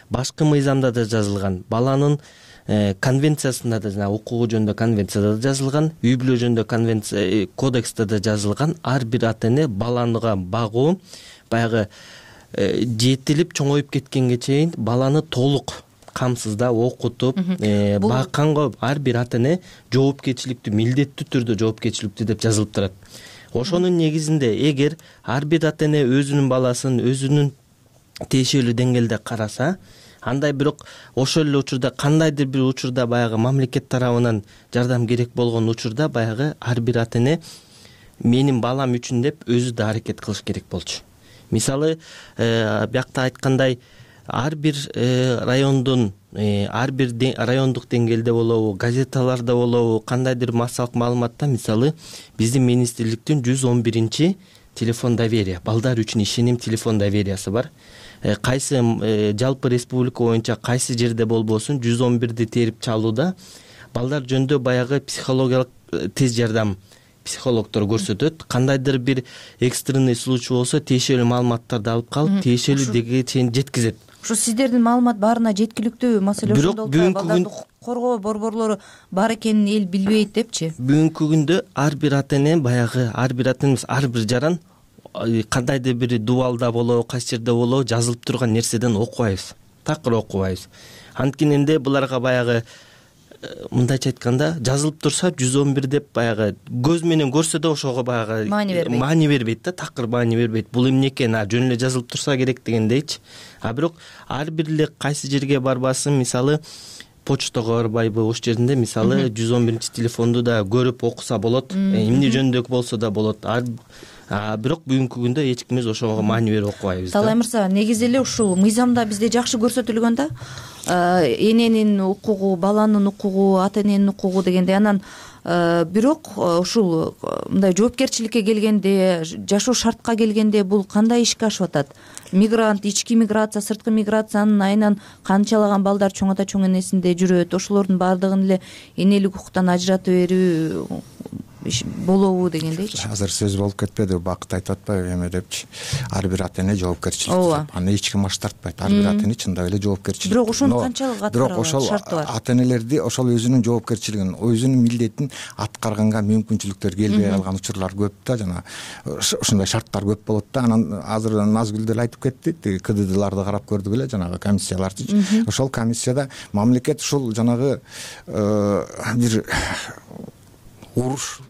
башкы мыйзамда да жазылган, баланын конвенциясында да, жана укугу жөнүндө конвенцияда да жазылган, үй бүлө жөнүндө кодексте да жазылган, ар бир ата эне баланга багуу баягы жетилип чоңоюп кеткенге чейин баланы толук камсыздап окутуп бакканга ар бир ата эне жоопкерчиликтүү, милдеттүү түрдө жоопкерчиликтүү деп жазылып турат. Ошонун негизинде эгер ар бир ата эне өзүнүн баласын өзүнүн тиешелүү деңгээлде караса, андай бирок ошол эле учурда кандайдыр бир учурда баягы мамлекет тарабынан жардам керек болгон учурда баягы ар бир ата эне менин балам үчүн деп өзү да аракет кылыш керек болчу. Мисалы, биякта айткандай, ар бир райондун, ар бир райондук деңгээлде болобу, газеталарда болобу, кандайдыр массалык маалыматта, мисалы, биздин министрликтин 111 телефон доверия, балдар үчүн ишеним телефон довериясы бар. Кайсы жалпы республика боюнча кайсы жерде болбосун 111ди терип чалууда балдар жөнүндө баягы психологиялык тез жардам психологдор көрсөтөт. Кандайдыр бир экстренный случай болсо тиешелүү маалыматтарды алып калып, тиешелүү деңгээлге чейин жеткизет. Ушу сиздердин маалымат баарына жеткиликтүү, маселе ошондо. Бирок бүгүнкү коргоо борборлору бар экенин эл билбейт депчи. Бүгүнкү күндө ар бир ата эне баягы ар бир ата эне ар бир жаран кандайдыр бир дубалда болобу кайсы жерде болобу жазылып турган нерседен окубайбыз, такыр окубайбыз. Анткенинде буларга баягы мындайча айтканда жазылып турса 111 деп баягы көз менен көрсө да ошого баягы маани бербейт да, такыр маани бербейт. Бул эмне экен, жөн эле жазылып турса керек дегендейчи. Бирок ар бир эле кайсы жерге барбасын, мисалы почтага барбайбы, ош жеринде мисалы 111 телефонду да көрүп окуса болот, эмне жөнүндө болсо да болот. Бирок бүгүнкү күндө эч кимибиз ошого маани берип окубайбыз. Талай мырза, негизи эле ушул мыйзамда бизде жакшы көрсөтүлгөн да. Эненин укугу, баланын укугу, ата эненин укугу дегенде, анан бирок ушул мындай жоопкерчиликке келгенде, жашоо шартка келгенде бул кандай ишке ашып атат? Мигрант, ички миграция, сырткы миграциянын айынан канчалаган балдар чоң ата чоң энесинде жүрөт? Ошолордун баардыгын эле энелик укуктан ажыратып берүү болобу дегендейчи. Азыр сөз болуп кетпеди, Бакыт айтып атпайбы эме депчи. Ар бир ата эне жоопкерчилик. Аны эч ким баш тартпайт. Ар бир ата эне чындап эле жоопкерчилик. Бирок ошону канчалык аткаруу шарты бар? Ата энелерди ошол өзүнүн жоопкерчилигин, өзүнүн милдетин аткарганга мүмкүнчүлүктөр келбей калган учурлар көп да, жана ушундай шарттар көп болот да. Анан азыр Назгүл деле айтып кетти, КДДларды карап көрдүк эле, жанагы комиссияларды. Ошол комиссияда мамлекет ушул жанагы бир уруш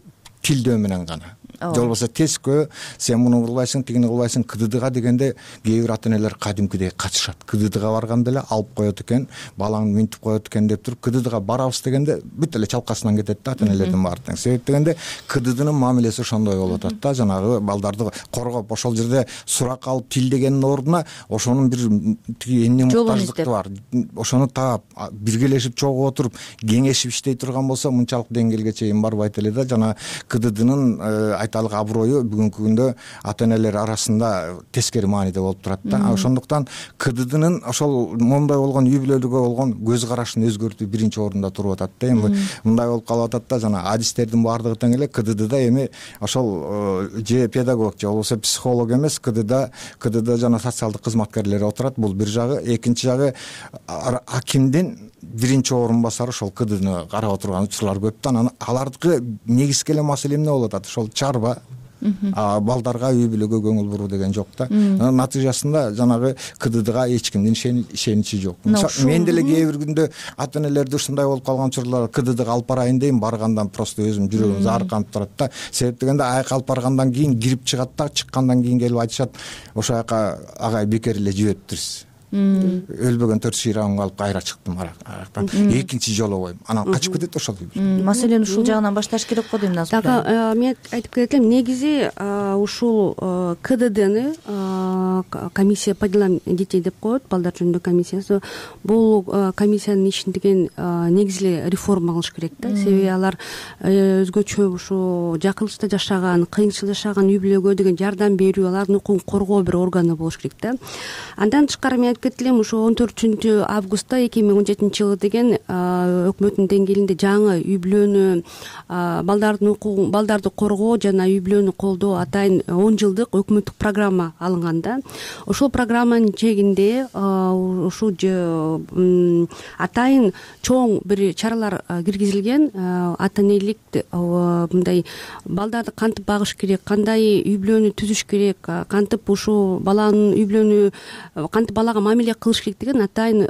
тилдөө менен гана, же болбосо тескөө сен муну кылбайсың, тигини кылбайсың, КДДга дегенде кээ бир ата энелер кадимкидей качышат. КДДга барганда эле алып коет экен, балаңды минтип коет экен деп туруп, КДДга барабыз дегенде бүт эле чалкасынан кетет да ата энелердин баардыгы. Себеп дегенде КДДнын мамилеси ошондой болуп атат да, жанагы балдарды коргоп, ошол жерде сурак алып тилдегендин ордуна ошонун бир тиги эмне муктаждыктары бар, ошону таап биргелешип чогуу отуруп кеңешип иштей турган болсо мынчалык деңгээлге чейин барбайт эле да. Жана КДДнын айталык аброю бүгүнкү күндө ата энелер арасында тескери мааниде болуп турат да. Ошондуктан КДДнын ошол моундай болгон үй бүлөлүгө болгон көз карашын өзгөртүү биринчи орунда туруп атат да. Эми мындай болуп калып атат да, жана адистердин баардыгы тең эле КДДда эми ошол же педагог же болбосо психолог эмес, КДД жана социалдык кызматкерлер отурат. Бул бир жагы. Экинчи жагы акимдин биринчи орун басары ошол КДДны карап отурган учурлар көп да. Анан алардыкы негизги эле маселе эмне болуп атат? Ошол чарба, балдарга, үй бүлөгө көңүл буруу деген жок да. Натыйжасында жанагы КДДга эч кимдин ишеничи жок. Мен деле кээ бир күндө ата энелерди ушундай болуп калган учурлар КДДга алып барайын дейм, баргандан просто өзүм жүрөгүм заарканып турат да. Себеп дегенде аяка алып баргандан кийин кирип чыгат да, чыккандан кийин келип айтышат, ошол жака агай бекер эле жибериптирсиз. Өлбөгөн 4 шыйрагымды алып кайра чыктым арактан. Экинчи жолу койдум. Анан качып кетет ошол. Маселени ушул жагынан башташ керек го дейм Назгүл. Мен айтып кетем, негизи ушул КДДны комиссия по делам детей деп коет, балдар жөнүндө комиссиясы. Бул комиссиянын ишин деген негизи эле реформа кылыш керек да. Себеби алар өзгөчө ушу жакынчылыкта жашаган, кыйынчыл жашаган үй бүлөгө деген жардам берүү, алардын укугун коргоо бир органы болуш керек да. Андан тышкары мен кетилем, ушу 14 августта 2017 жылы деген өкмөттүн деңгээлинде жаңы үй бүлөнү, балдардын укугун, бaldарды коргоо жана үй бүлөнү колдоо атайын 10 жылдык өкмөттүк программа алынган да. Ошол программанын чегинде ушу атайын чоң бир чаралар киргизилген. Ата энелик мындай балдарды кантип багыш керек, кандай үй бүлөнү түзүш керек, кантип ушу баланын үй бүлөнү кантип балага мамиле кылыш керек деген атайын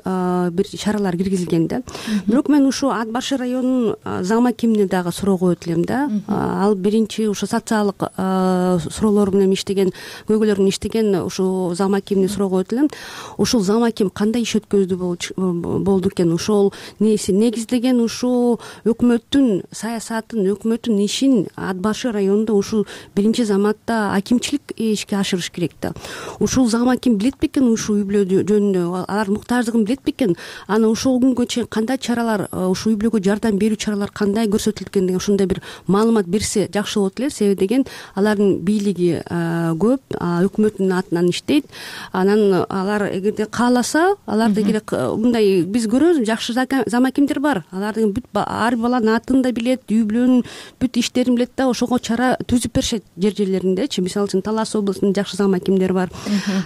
бир чаралар киргизилген да. Бирок мен ушу Ат башы районунун зам акимине дагы суроо коет элем да. Ал биринчи ушу социалдык суроолор менен иштеген, көйгөйлөр менен иштеген ушу зам акимине суроо коет элем. Ушул зам аким кандай иш өткөздү болду экен? Ошол негиздеген ушу өкмөттүн саясатын, өкмөттүн ишин Ат башы районунда ушул биринчи заматта акимчилик ишке ашырыш керек да. Ушул зам аким билет бекен ушу үй бүлө жөнүндө, алардын муктаждыгын билет бекен? Анан ошол күнгө чейин кандай чаралар, ушу үй бүлөгө жардам берүү чаралары кандай көрсөтүлгөн деген ушундай бир маалымат берсе жакшы болот эле. Себеби деген алардын бийлиги көп, өкмөттүн атынан иштейт. Анан алар эгерде кааласа, аларды мындай биз көрөбүз, жакшы зам акимдер бар. Алардын бүт ар баланын атын да билет, үй бүлөнүн бүт иштерин билет да, ошого чара түзүп беришет жер жерлериндечи. Мисалы үчүн Талас облусунун жакшы зам акимдери бар.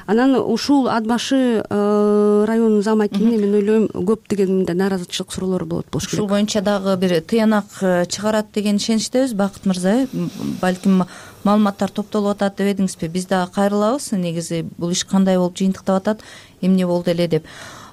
Анан ушул Ат башы районунун зам акимине мен ойлойм көптөгөн мындай нааразычылык суроолор болот болуш керек. Ушул боюнча дагы бир тыянак чыгарат деген ишеничтебиз. Бакыт мырза, балким маалыматтар топтолуп атат деп эдиңизби? Биз дагы кайрылабыз. Негизи бул иш кандай болуп жыйынтыктап атат, эмне болду эле деп.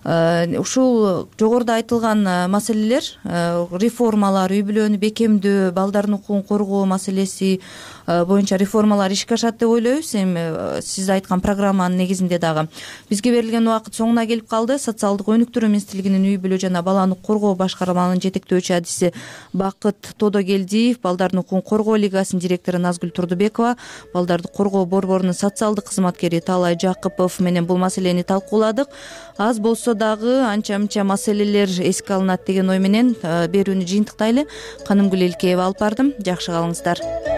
Ушул жогоруда айтылган маселелер, реформалар, үй бүлөнү бекемдөө, балдардын укугун коргоо маселеси боюнча реформалар ишке ашат деп ойлойбуз. Эми сиз айткан программанын негизинде дагы бизге берилген убакыт соңуна келип калды. Социалдык өнүктүрүү министрлигинин үй бүлө жана баланы коргоо башкармалыгынын жетектөөчү адиси Бакыт Тодогелдиев, балдардын укугун коргоо лигасынын директору Назгүл Турдубекова, балдарды коргоо борборунун социалдык кызматкери Таалай Жакыпов менен бул маселени талкууладык. Аз болсо дагы анча мынча маселелер эске алынат деген ой менен берүүнү жыйынтыктайлы. Канымгүл Элкеева алып бардым. Жакшы калыңыздар.